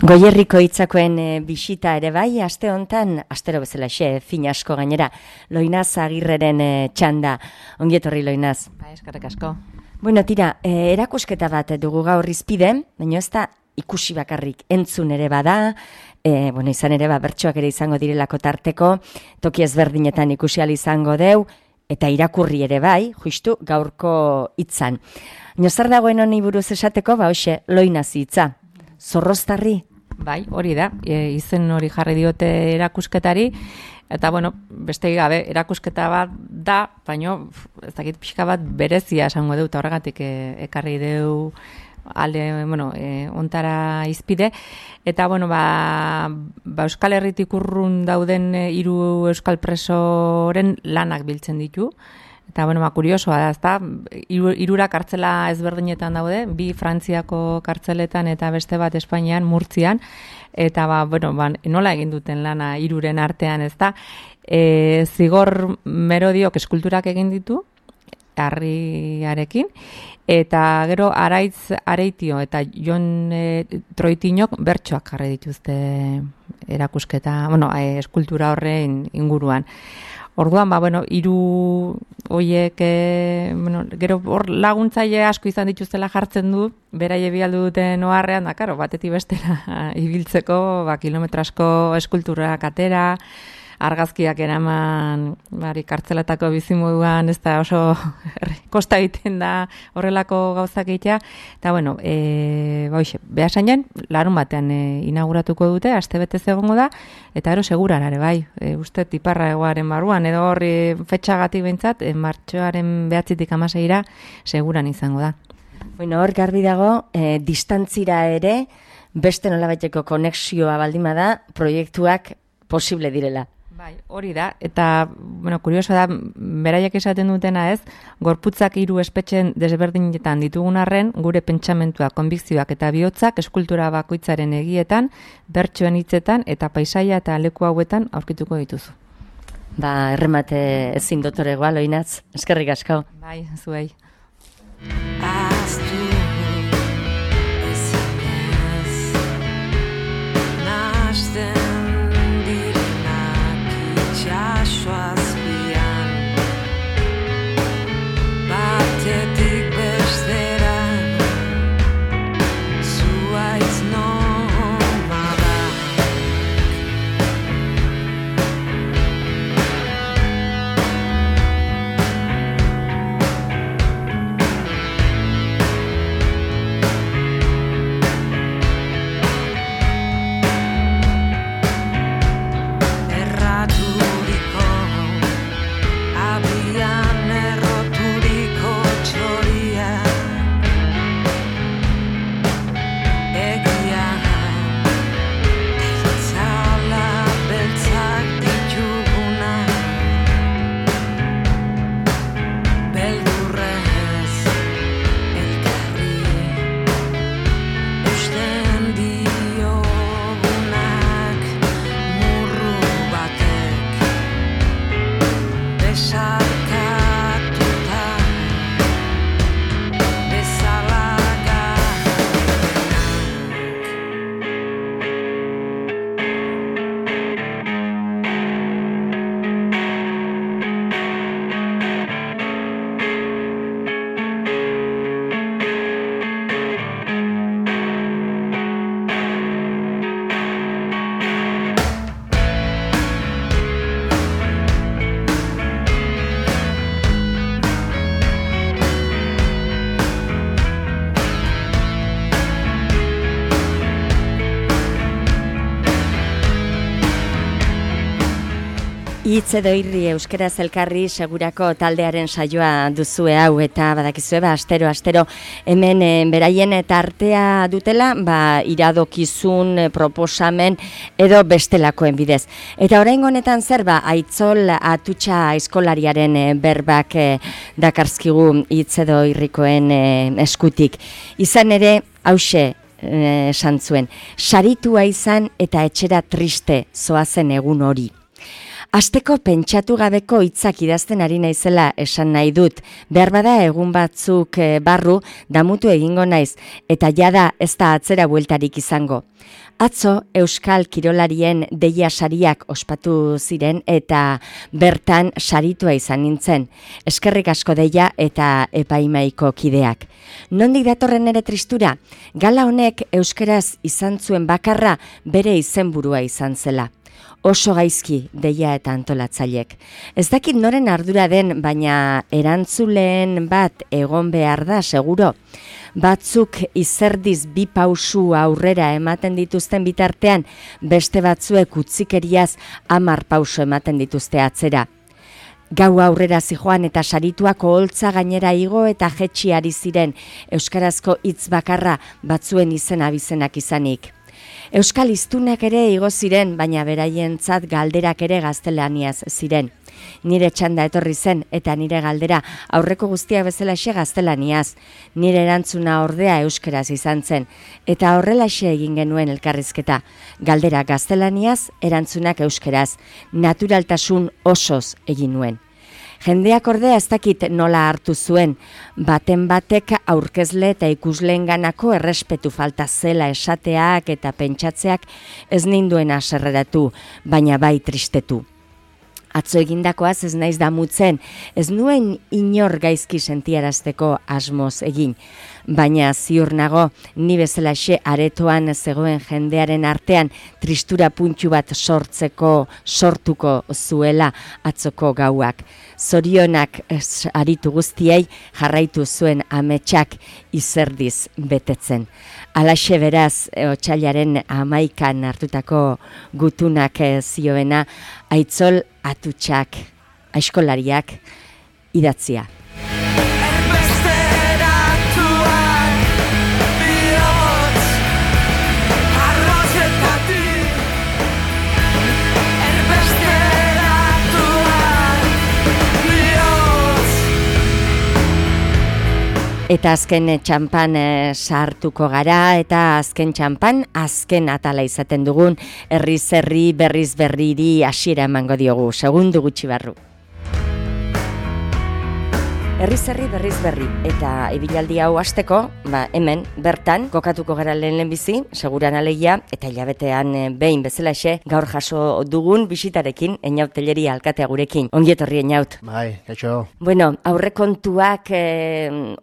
Goierriko hitzakoen e, bisita ere bai, aste hontan, astero bezala xe, fin asko gainera, Loinaz Agirreren e, txanda. Ongi etorri, Loinaz. Ba, eskerrik asko. Bueno, tira, e, erakusketa bat dugu gaur izpide, baina ez da ikusi bakarrik entzun ere bada, e, bueno, izan ere ba, bertsoak ere izango direlako tarteko, toki ezberdinetan ikusi ahal izango deu, eta irakurri ere bai, justu gaurko hitzan. Baina zer dagoen honi buruz esateko, ba hoxe, Loinaz hitza. Zorroztarri? Bai, hori da, e, izen hori jarri diote erakusketari, eta bueno, beste gabe, erakusketa bat da, baino, ez dakit pixka bat berezia esango dut, horregatik e, ekarri deu alde, bueno, e, ontara izpide, eta bueno, ba, ba Euskal Herritik urrun dauden e, hiru euskal presoren lanak biltzen ditu. Eta, bueno, ba, kuriosoa da, ezta? Hirura kartzela ezberdinetan daude, bi Frantziako kartzeletan eta beste bat Espainian, Murtzian, eta, ba, bueno, ba, nola egin duten lana hiruren artean, ezta? E, zigor Merodiok eskulturak egin ditu, harriarekin, eta gero Araitz Areitio eta Jon e, Troitinok bertsoak jarri dituzte erakusketa, bueno, e, eskultura horren inguruan. Orduan, ba, bueno, hiru hoiek, e, bueno, gero hor laguntzaile asko izan dituztela jartzen du, beraie bialdu duten oharrean, da, karo, batetik bestera ibiltzeko, ba, kilometro asko eskulturak atera, argazkiak eraman, bari, kartzelatako bizimoduan, ez da oso kosta egiten da horrelako gauzak egitea, eta, bueno, e, ba, hoxe, behasainen, larun batean e, inauguratuko dute, aste betez egongo da, eta ero seguran ere, bai, e, uste tiparra egoaren barruan, edo horri fetxagatik behintzat, e, martxoaren behatzitik amaseira, seguran izango da. Bueno, hor garbi dago, e, distantzira ere, beste nolabaiteko konexioa baldima da, proiektuak posible direla. Bai, hori da, eta, bueno, kurioso da, beraiek esaten dutena ez, gorputzak hiru espetxen desberdinetan ditugun arren, gure pentsamentuak, konbikzioak eta bihotzak eskultura bakoitzaren egietan, bertsoen hitzetan eta paisaia eta leku hauetan aurkituko dituzu. Ba, erremate ezin dotoregoa, Loinaz, eskerrik asko. Bai, zuei. Zurian erroturiko txoria egia itzala beltzak dituguna beldurrez elkarri eusten diogunak murru batek besarkatuta bezalaganak. Hitz edo irri euskaraz elkarri segurako taldearen saioa duzue hau eta badakizue ba astero astero hemen e, beraien eta artea dutela ba iradokizun e, proposamen edo bestelakoen bidez. Eta oraingo honetan zer ba Aitzol Atutxa eskolariaren e, berbak e, dakarzkigu hitz edo irrikoen e, eskutik. Izan ere hauxe esan zuen, saritua izan eta etxera triste zoazen egun hori. Asteko pentsatu gabeko hitzak idazten ari naizela esan nahi dut. Behar bada egun batzuk barru damutu egingo naiz eta jada ez da atzera bueltarik izango. Atzo Euskal Kirolarien deia sariak ospatu ziren eta bertan saritua izan nintzen. Eskerrik asko deia eta epaimaiko kideak. Nondik datorren ere tristura? Gala honek euskaraz izan zuen bakarra bere izenburua izan zela. Oso gaizki deia eta antolatzailek. Ez dakit noren ardura den, baina erantzuleen bat egon behar da, seguro. Batzuk izerdiz bi pausu aurrera ematen dituzten bitartean, beste batzuek utzikeriaz hamar pauso ematen dituzte atzera. Gau aurrera zijoan eta sarituak oholtza gainera igo eta jetxi ari ziren, euskarazko hitz bakarra batzuen izen abizenak izanik. Euskal hiztunak ere igo ziren, baina beraientzat galderak ere gaztelaniaz ziren. Nire txanda etorri zen eta nire galdera aurreko guztia bezalaxe gaztelaniaz. Nire erantzuna ordea euskaraz izan zen eta horrelaxe egin genuen elkarrizketa. Galdera gaztelaniaz, erantzunak euskaraz. Naturaltasun osoz egin nuen. Jendeak ordea ez dakit nola hartu zuen, baten batek aurkezle eta ikusleenganako errespetu falta zela esateak eta pentsatzeak ez ninduen haserreratu, baina bai tristetu. Atzo egindakoaz ez naiz damutzen, ez nuen inor gaizki sentiarazteko asmoz egin. Baina ziur nago, ni bezalaxe aretoan zegoen jendearen artean tristura puntu bat sortzeko sortuko zuela atzoko gauak. Zorionak aritu guztiei jarraitu zuen ametsak izerdiz betetzen. Alaxe beraz, otsailaren hamaikan hartutako gutunak zioena, Aitzol Atutxak, aiskolariak, idatzia. Eta azken txampan e, sartuko gara, eta azken txampan, azken atala izaten dugun, herriz herri, berriz berriri hasiera emango diogu, segundu gutxi barru. Herriz herri, berriz berri, eta ibilaldi hau hasteko, ba, hemen, bertan, kokatuko gara lehen lehenbizi, seguran alegia, eta hilabetean e, behin bezalaxe, gaur jaso dugun bisitarekin, Einaut Telleria alkatea gurekin. Ongi etorri, Einaut. Bai, kaixo. Bueno, aurrekontuak e,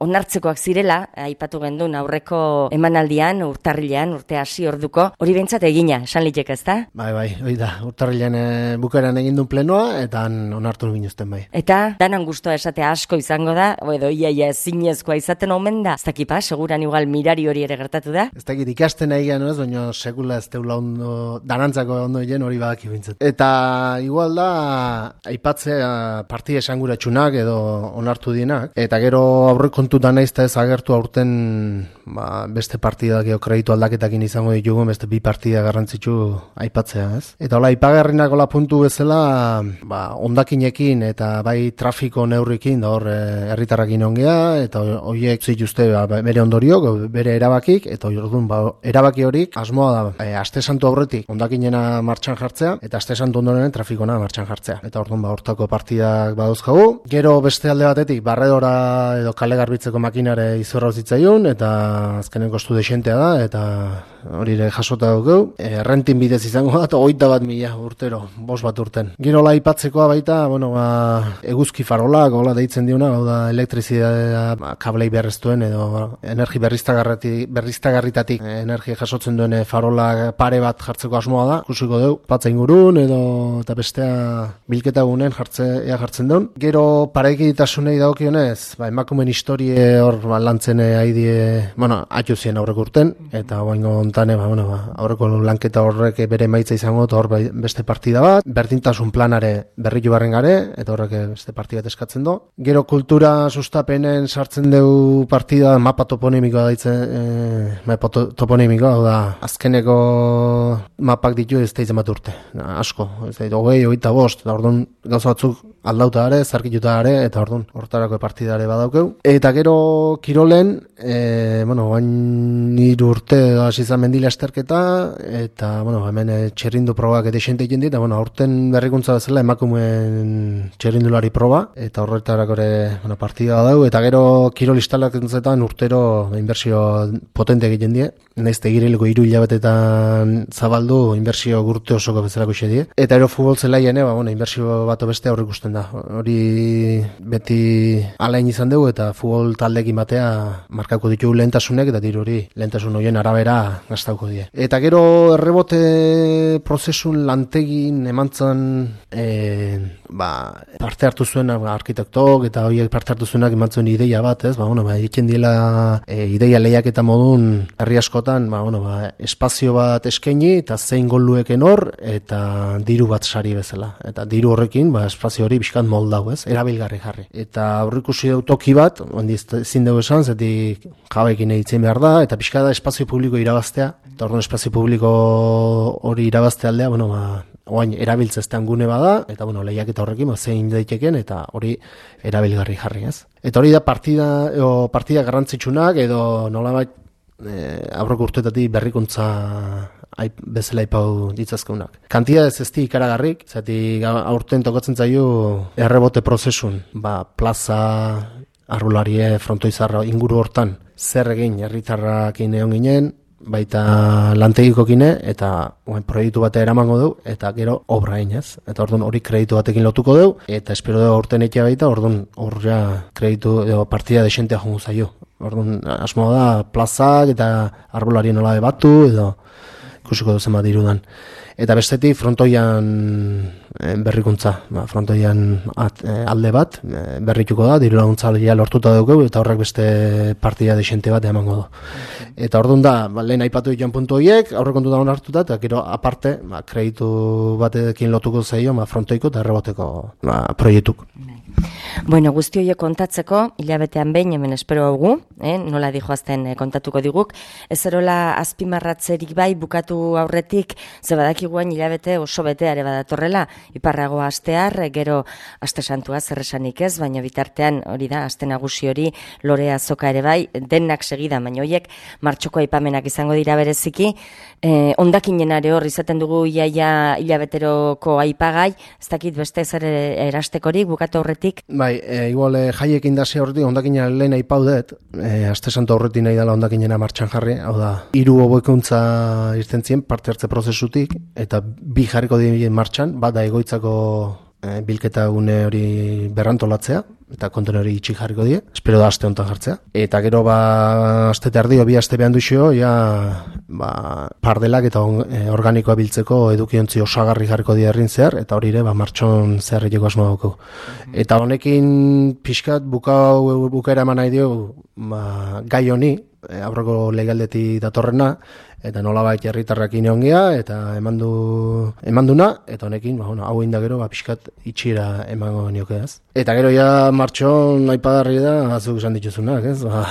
onartzekoak zirela, aipatu gendun aurreko emanaldian, urtarrilean, urte hasi orduko, hori behintzat egina, esan litek ez da? Bai, bai, hori da, urtarrilean e, bukaeran egin duen plenoa, eta onartu ginuzten bai. Eta danan gustoa esatea asko izango izango da, edo iaia ezinezkoa izaten omen da. Ez dakipa, seguran igual mirari hori ere gertatu da. Ez dakit ikasten nahi gano ez, baina sekula ez teula ondo, danantzako ondo hien hori badaki bintzat. Eta igual da, aipatzea partida esanguratsunak edo onartu dienak, eta gero aurrekontutan naiz ez agertu aurten ba, beste partidak edo kreditu aldaketakin izango ditugu, beste bi partida garrantzitsu aipatzea, ez? Eta hola, ipagarrinak hola puntu bezala, ba, ondakinekin eta bai trafiko neurrikin da hor herritarrakin ongea, eta horiek zituzte ba, bere ondoriok, bere erabakik, eta orduan ba, erabaki horik asmoa da e, aste santu aurretik ondakinena martxan jartzea, eta aste santu ondoren trafikona martxan jartzea. Eta orduan ba, hortako partidak badauzkagu. Gero beste alde batetik, barredora edo kale garbitzeko makinare izorra zitzaion, eta azkenen kostu desentea da, eta hori ere jasota dugu. E, rentin bidez izango da, hogeita bat mila urtero, bost bat urten. Gero la aipatzekoa baita, bueno, ba, eguzki farolak, hola deitzen diona, hau da elektrizidadea ba, kablei berreztuen edo energi berriztagarritatik e, energia jasotzen duen farolak pare bat jartzeko asmoa da, ikusiko dugu, patza ingurun edo eta bestea bilketa gunen jartze, ea jartzen duen. Gero parekiditasunei dagokionez, ba, emakumen historie hor ba, lantzen haidie, bueno, atxu zien aurreko urten, eta oaingo ontane, ba, bueno, ba, aurreko lanketa horrek bere maitza izango, eta hor beste partida bat, berdintasun planare berritu barren gare, eta horrek beste partida bat eskatzen do. Gero kultura sustapenen sartzen dugu partida, mapa toponimikoa daitzen, e, mapa toponimikoa, hau da, azkeneko mapak ditu ez daitzen bat urte, asko, ez daitzen, hogei, hogeita bost, eta orduan gauza batzuk aldauta are, zarkituta are, eta orduan hortarako partidare badaukeu. Eta gero kirolen, e, bueno, bain hiru urte hasi izan mendila esterketa, eta, bueno, hemen txerrindu probak eta esente egin dit, eta, bueno, aurten berrikuntza bezala emakumeen txerrindulari proba, eta horretarako ere, bueno, partida badau, eta gero kirol instalakuntzetan urtero inbertsio potente egiten die, naiz tegirileko hiru hilabetetan zabaldu inbertsio gurte osoko bezalako xe die. Eta ero futbol zelaien, ba, bueno, inbertsio bat beste aurre ikusten da. Hori beti alain izan dugu, eta futbol taldekin batea markako ditugu lehentasunek, eta diru hori lehentasun horien arabera gastauko die. Eta gero errebote prozesun lantegin emantzan e, ba, parte hartu zuen arkitektok, eta horiek parte hartu zuenak emantzuen ideia bat, ez? Ba, bueno, ba, egiten diela e, ideia lehiak eta modun herri askotan, ba, bueno, ba, espazio bat eskaini, eta zein golueken hor, eta diru bat sari bezala. Eta diru horrekin, ba, espazio hori bizkat moldau, ez? Erabilgarri jarri. Eta aurrikusi dut toki bat, ondi ezin dugu esan, zetik jabekin egitzen behar da, eta bizkat da espazio publiko irabaztea, eta orduan espazio publiko hori irabazte aldea, bueno, ba, oain erabiltzeztean gune bada, eta bueno, lehiak eta horrekin, ba, zein daiteken, eta hori erabilgarri jarri, ez? Eta hori da partida, o, partida garrantzitsunak, edo nolabait e, aurreko urtetatik berrikuntza aip, bezala ipau ditzazkeunak. Kantidadez ez di ikaragarrik, zati aurten tokatzen zaio errebote prozesun, ba, plaza, arbularie, frontoizarra inguru hortan, zer egin herritarrakin egon ginen, baita lantegikokine, eta oen, proiektu batea eramango du, eta gero obra egin, ez? Eta orduan hori kreditu batekin lotuko du, eta espero dugu aurten ekia baita, orduan horra kreditu edo partida desentea jongo zaio. Orduan asmoa da plazak eta arbolarien nola batu, edo ikusiko duzen bat irudan. Eta bestetik frontoian e, berrikuntza, ba, frontoian at, e, alde bat e, berrituko da, diru laguntza lortuta dugu, eta horrek beste partida desente bat emango du. Eta orduan da, ba, lehen aipatu dian puntu horiek, aurrekontu da hartuta, eta gero aparte, ba, kreditu batekin lotuko zaio, ba, frontoiko eta erreboteko ba, proiektuk. Bueno, guzti horiek kontatzeko, hilabetean behin hemen espero haugu, eh? Nola dijoazten eh, kontatuko diguk, ez erola azpimarratzerik bai bukatu aurretik, ze badakiguan hilabete oso beteare badatorrela, iparragoa astear, gero aste santua zerresanik ez, baina bitartean hori da, aste nagusi hori, lore azoka ere bai, denak segida, baina horiek martxoko aipamenak izango dira bereziki, eh, ondakinenare hor izaten dugu iaia hilabeteroko aipagai, ez dakit beste zer erastekorik bukatu aurretik. Bai, e, igual e, jaiek indasi horretik ondakina lehen aipaudet, e, aste santo horretik nahi dela ondakinena martxan jarri, hau da, hiru hobeikuntza irten zien parte hartze prozesutik, eta bi jarriko dien martxan, bat da egoitzako e, bilketa gune hori berrantolatzea, eta kontenori itxi jarriko die, espero da aste honetan jartzea. Eta gero ba aste terdio, bi aste behan duxo, ja ba, pardelak eta on, e, organikoa biltzeko edukiontzi osagarri jarriko die herrin zehar, eta hori ere ba, martxon zeharrileko asmo dauko. Eta honekin pixkat bukau, bukaera eman nahi dio ba, gai honi, e, aurreko legaldeti datorrena, eta nolabait herritarrekin egon gea, eta emandu, emanduna, eta honekin, ba, bueno, hau inda gero, ba, pixkat itxira emango nioke, ez? Eta gero ja martxon aipagarri da, azuk esan dituzunak, ez? Ba,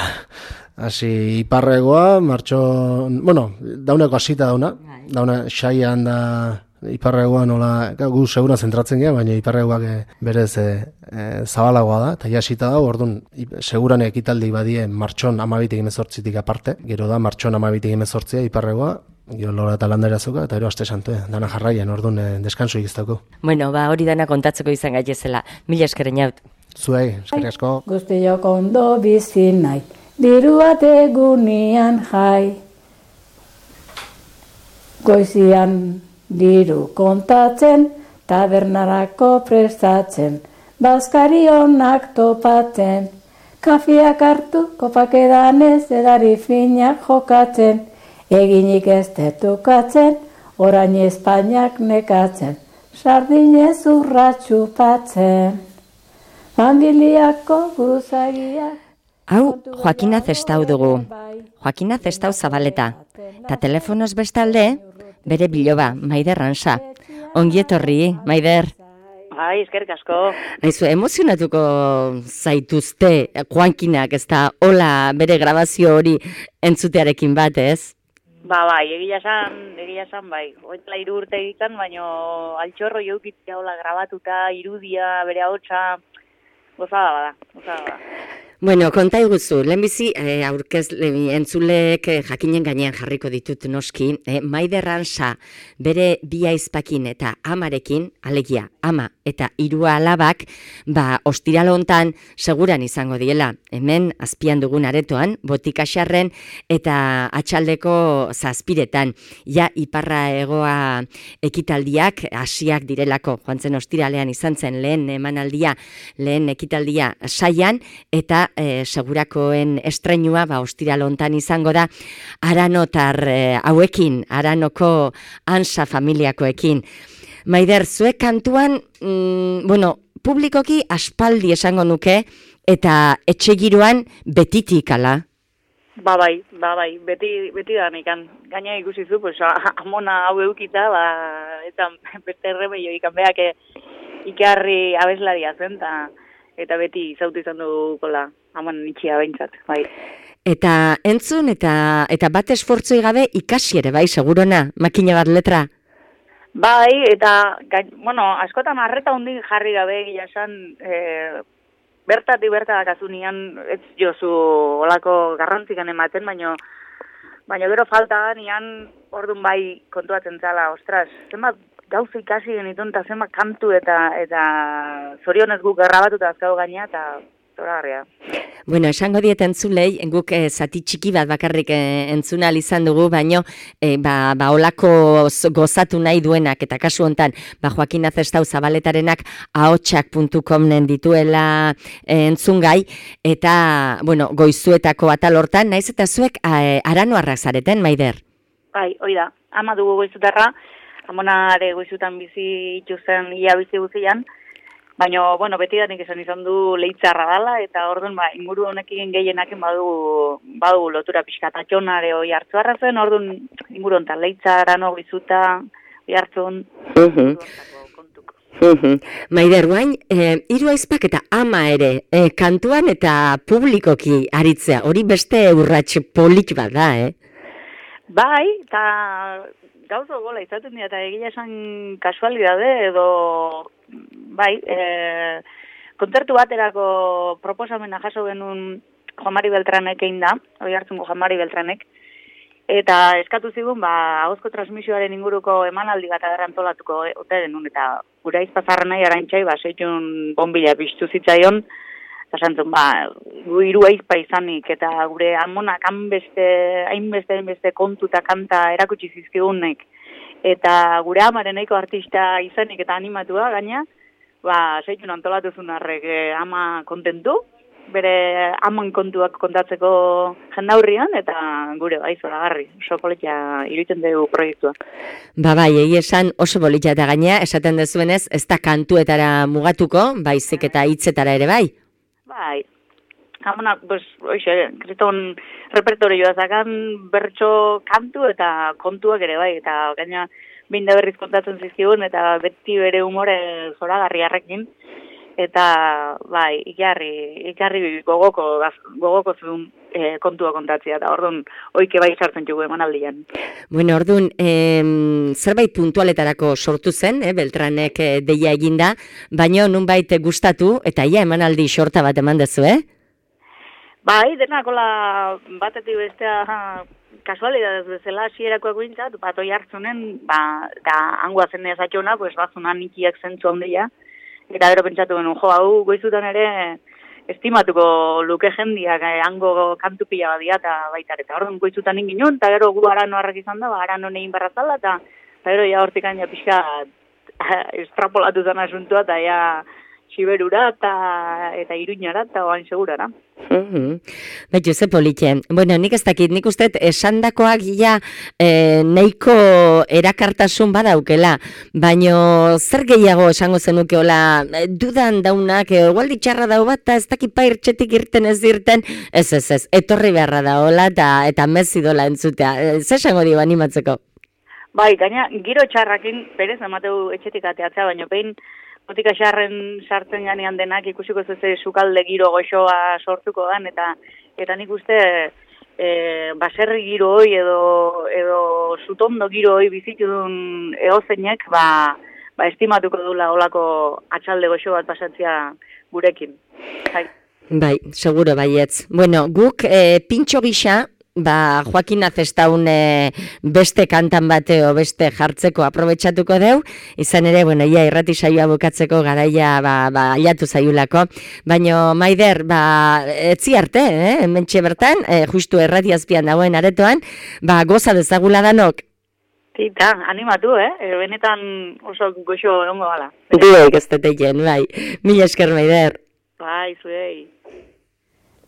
hasi iparregoa, martxon, bueno, dauneko hasita dauna, dauna xaian da iparregoa nola, gu segura zentratzen gea, baina iparregoak e, berez e, e, zabalagoa da, eta ja hasita da, orduan, seguran ekitaldi badie martxon amabitik emezortzitik aparte, gero da martxon amabitik emezortzia iparregoa, gero lora eta landera zuka, eta gero aste santu, dana jarraian, orduan e, deskansu ikiztako. Bueno, ba, hori dana kontatzeko izan gaitezela. Mila eskerren jaut. Zuei, eskerrik asko. Guztiok ondo bizi nahi, diru ategunian jai. Goizian diru kontatzen, tabernarako prestatzen, bazkari onak topatzen, kafiak hartu, kopak edanez, edari finak jokatzen, eginik ez detukatzen, orain Espainiak nekatzen, sardinez urratxupatzen, familiako buruzagiak. Hau, Joakina Zestau dugu. Joakina Zestau Zabaleta. Ta telefonoz bestalde, bere biloba, Maider Ransa. Ongi etorri, Maider. Bai, eskerrik asko. Aizu, emozionatuko zaituzte Joakinak, ez da, hola bere grabazio hori entzutearekin bat, ez? Ba, bai, egia esan, egia esan, bai. Hoetela hiru urte egiten, baino altxorro jaukitzea hola grabatuta, irudia, bere ahotsa, gozada bada, gozada bada. Bueno, konta iguzu, lehenbizi eh, aurkez entzuleek eh, jakinen gainean jarriko ditut noski, eh, Maider Ransa bere bi aizpakin eta amarekin, alegia, ama eta hiru alabak, ba, ostiral hontan seguran izango diela, hemen azpian dugun aretoan, Botikaxarren eta atxaldeko zazpiretan, ja iparra egoa ekitaldiak hasiak direlako, joan zen ostiralean izan zen lehen emanaldia, lehen ekitaldia saian, eta E, segurakoen estreinua ba, ostiral hontan izango da aranotar e, hauekin, aranoko Ansa familiakoekin. Maider, zuek kantuan, mm, bueno, publikoki aspaldi esango nuke, eta etxegiroan betitik ala? Ba bai, ba bai, beti, beti da nikan. Gaina ikusi zu, pues, amona hau eukita, ba, eta beste erremeio ikan beak ikarri abeslaria zen, ta, eta beti zautu izan dugukola, haman itxia behintzat, bai. Eta entzun, eta eta bat esfortzoi gabe ikasi ere, bai, segurona, makina bat letra? Bai, eta, bueno, askotan arreta hundin jarri gabe, gila esan, e, bertatik bertatik azunian, ez jozu olako garrantzikan ematen, baino, baina gero falta nian, orduan bai kontuatzen zala, ostras, zenbat, gauza ikasi genitun, eta zenbat kantu eta eta zorionez guk grabatuta azkago gaina, eta zoragarria. Bueno, esango diet entzulei, guk eh, zati txiki bat bakarrik eh, entzuna izan dugu, baino eh, ba, ba olako gozatu nahi duenak, eta kasu hontan, ba Joakina Zestau Zabaletarenak ahotsak puntu com-nen dituela eh, entzungai, eta, bueno, goizuetako atal hortan, naiz eta zuek eh, aranoarrak zareten, Maider? Bai, hoi da, ama dugu goizutarra, amonare goizutan bizi itxuzen ia bizi guzian, baina, bueno, beti danik esan izan du leitzarra dala, eta orduan, ba, inguru honekin gehienaken badugu, badugu lotura pixka, tatxonare hoi hartzuarra zen, orduan inguru honetan leitzara, no, goizuta, hoi hartzun, uh-huh. Uh-huh. Maider, guain, eh, hiru aizpak eta ama ere, eh, kantuan eta publikoki aritzea, hori beste urrats polit bat da, eh? Bai, eta gauzo gola izaten dira, eta egia esan kasualidade edo, bai, e, kontzertu baterako proposamena jaso genuen Juan Mari Beltranek egin da, hori hartzungo Juan Mari Beltranek, eta eskatu zigun, ba, ahozko transmisioaren inguruko emanaldi bat agarrantolatuko ote genuen, eta gure aizpazarra nahi arantxai, ba, seitun bombila piztu zitzaion, eta santzun, ba, gu hiru aizpa izanik, eta gure amonak hainbeste, hainbeste, hainbeste kontu eta kanta erakutsi zizkigunek, eta gure amaren nahiko artista izanik eta animatua gaina, ba, seitun antolatu zunarrek eh, ama kontentu, bere aman kontuak kontatzeko jendaurrian, eta gure bai zoragarri, oso politia iruditzen dugu proiektua. Ba bai, egia esan oso politia eta gainea, esaten dezuenez, ez da kantuetara mugatuko, baizik eta hitzetara ere bai. Bai, Hamona, pues, oixe, kriston repertorioa zakan bertso kantu eta kontuak ere bai, eta gaina behin da berriz kontatzen zizkigun, eta beti bere humore zoragarri harrekin, eta bai, ikarri, ikarri gogoko, gogoko zuen e, kontua kontatzea, eta orduan oike bai sartzen jugu emanaldian. Bueno, orduan, em, zerbait puntualetarako sortu zen, eh, Beltranek eh, deia eginda, baina nunbait gustatu, eta ia emanaldi sorta bat eman dezu, eh? Bai, denakola batetik bestea kasualidadez bezala hasierakoak guintzat, bat oi hartzunen, ba, eta hangoa zen ezatxona, pues bazunan ikiak zentzu handia, eta gero pentsatu genuen, jo, hau goizutan ere estimatuko luke jendiak eh, hango kantu pila badia eta baita, eta orduan goizutan ingin eta gero gu arano harrak izan da, ba, arano negin barrazala, eta gero ja hortik aina pixka estrapolatu zen asuntua, eta ja Siberura eta eta Iruñara eta oain segurara. Mhm. Baitu, ze politxe. Bueno, nik ez dakit, nik uste esandakoak ja e, neiko erakartasun badaukela, baino zer gehiago esango zenukeola, dudan daunak, igual ditxarra dau bat, eta ez dakit pairtxetik irten ez dirten, ez ez ez, etorri beharra daola eta, eta mezidola entzutea. Zer esango dio animatzeko? Bai, gaina, giro txarrakin, berez, emateu etxetik ateatzea, baino behin, botika xarren sartzen ganean denak ikusiko zeze sukalde giro goxoa sortuko dan, eta eta nik uste e, baserri giro hoi edo, edo sutondo giro hoi bizitu duen eozeinek, ba, ba estimatuko dula olako atxalde goxo bat pasatzea gurekin. Hai. Bai, seguro baietz. Bueno, guk e, pintxo gisa, ba, Joaquin Azestaun e, beste kantan bateo, beste jartzeko aprobetxatuko deu, izan ere, bueno, ia irrati saioa bukatzeko garaia, ba, ba, aiatu zaiulako, baino, Maider, ba, etzi arte, eh, hementxe bertan, e, justu errati azpian dagoen aretoan, ba, goza dezagula danok. Tita, animatu, eh? E, benetan oso goxo egongo gala. Duek ez teteien, bai. Mila esker, Maider. Bai, zuei.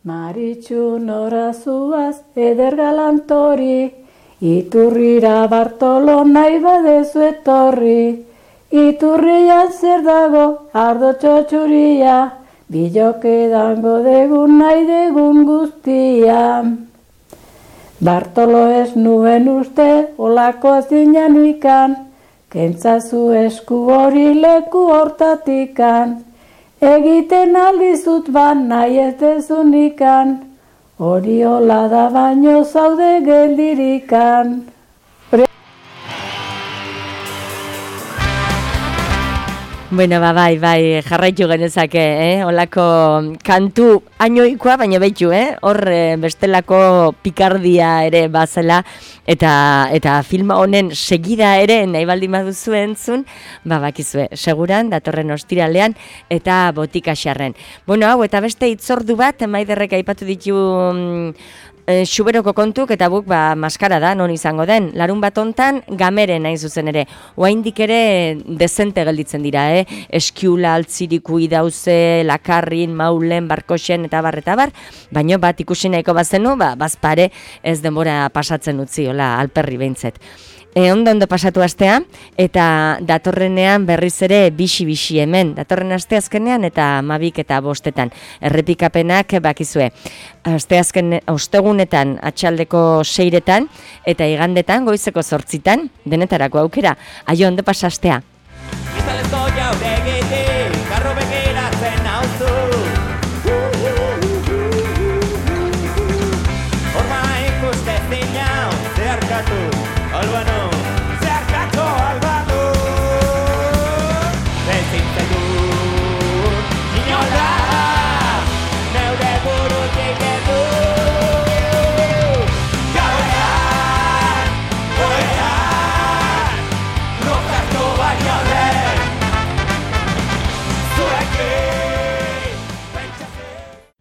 Maritxu norazuaz eder galantori, iturrira Bartolo nahi badezu etorri. Iturrian zer dago ardo txotxuria, biloke dango degun nahi degun guztia. Bartolo ez nuen uste olako zinan ikan, kentzazu esku hori leku hortatikan. Egiten aldizut ban nahi ez dezunikan, hori hola da baino zaude geldirikan. Bueno, ba, bai, bai, jarraitu genezake, eh? Olako kantu ainoikoa, baina behitu, eh? Hor bestelako pikardia ere bazela, eta eta filma honen segida ere nahi baldin baduzu entzun, ba, bakizue, seguran, datorren ostiralean, eta botika xarren. Bueno, hau, eta beste itzordu bat, Maiderrek aipatu ditu mm, e, Xuberoko kontuk, eta buk, ba, maskara da, non izango den. Larun bat hontan, gameren nahi zuzen ere. Oaindik ere dezente gelditzen dira, eh? Eskiula, altziriku, idauze, lakarrin, maulen, barkoxen, eta bar, eta bar, baino bat ikusi nahiko bazenu, ba, bazpare ez denbora pasatzen utzi, hola, alperri behintzet. E, ondo ondo pasatu astea, eta datorrenean berriz ere bixi-bixi hemen, datorren aste azkenean eta mabik eta bostetan. Errepikapenak bakizue, aste azken ostegunetan atxaldeko seiretan, eta igandetan goizeko zortzitan, denetarako aukera, aio ondo pasastea. Izalezo jaure egiti, garro begiratzen hauzu. Horma ikuste zinau, zeharkatu, albano. Zeharkatu, albano. Bezintzegu, inola, neure burutik edu. Gauean, goean, rokartu baino lehen.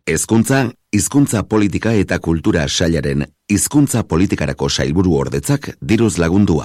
Hezkuntza, hizkuntza politika eta kultura sailaren hizkuntza politikarako sailburu ordetzak diruz lagundua.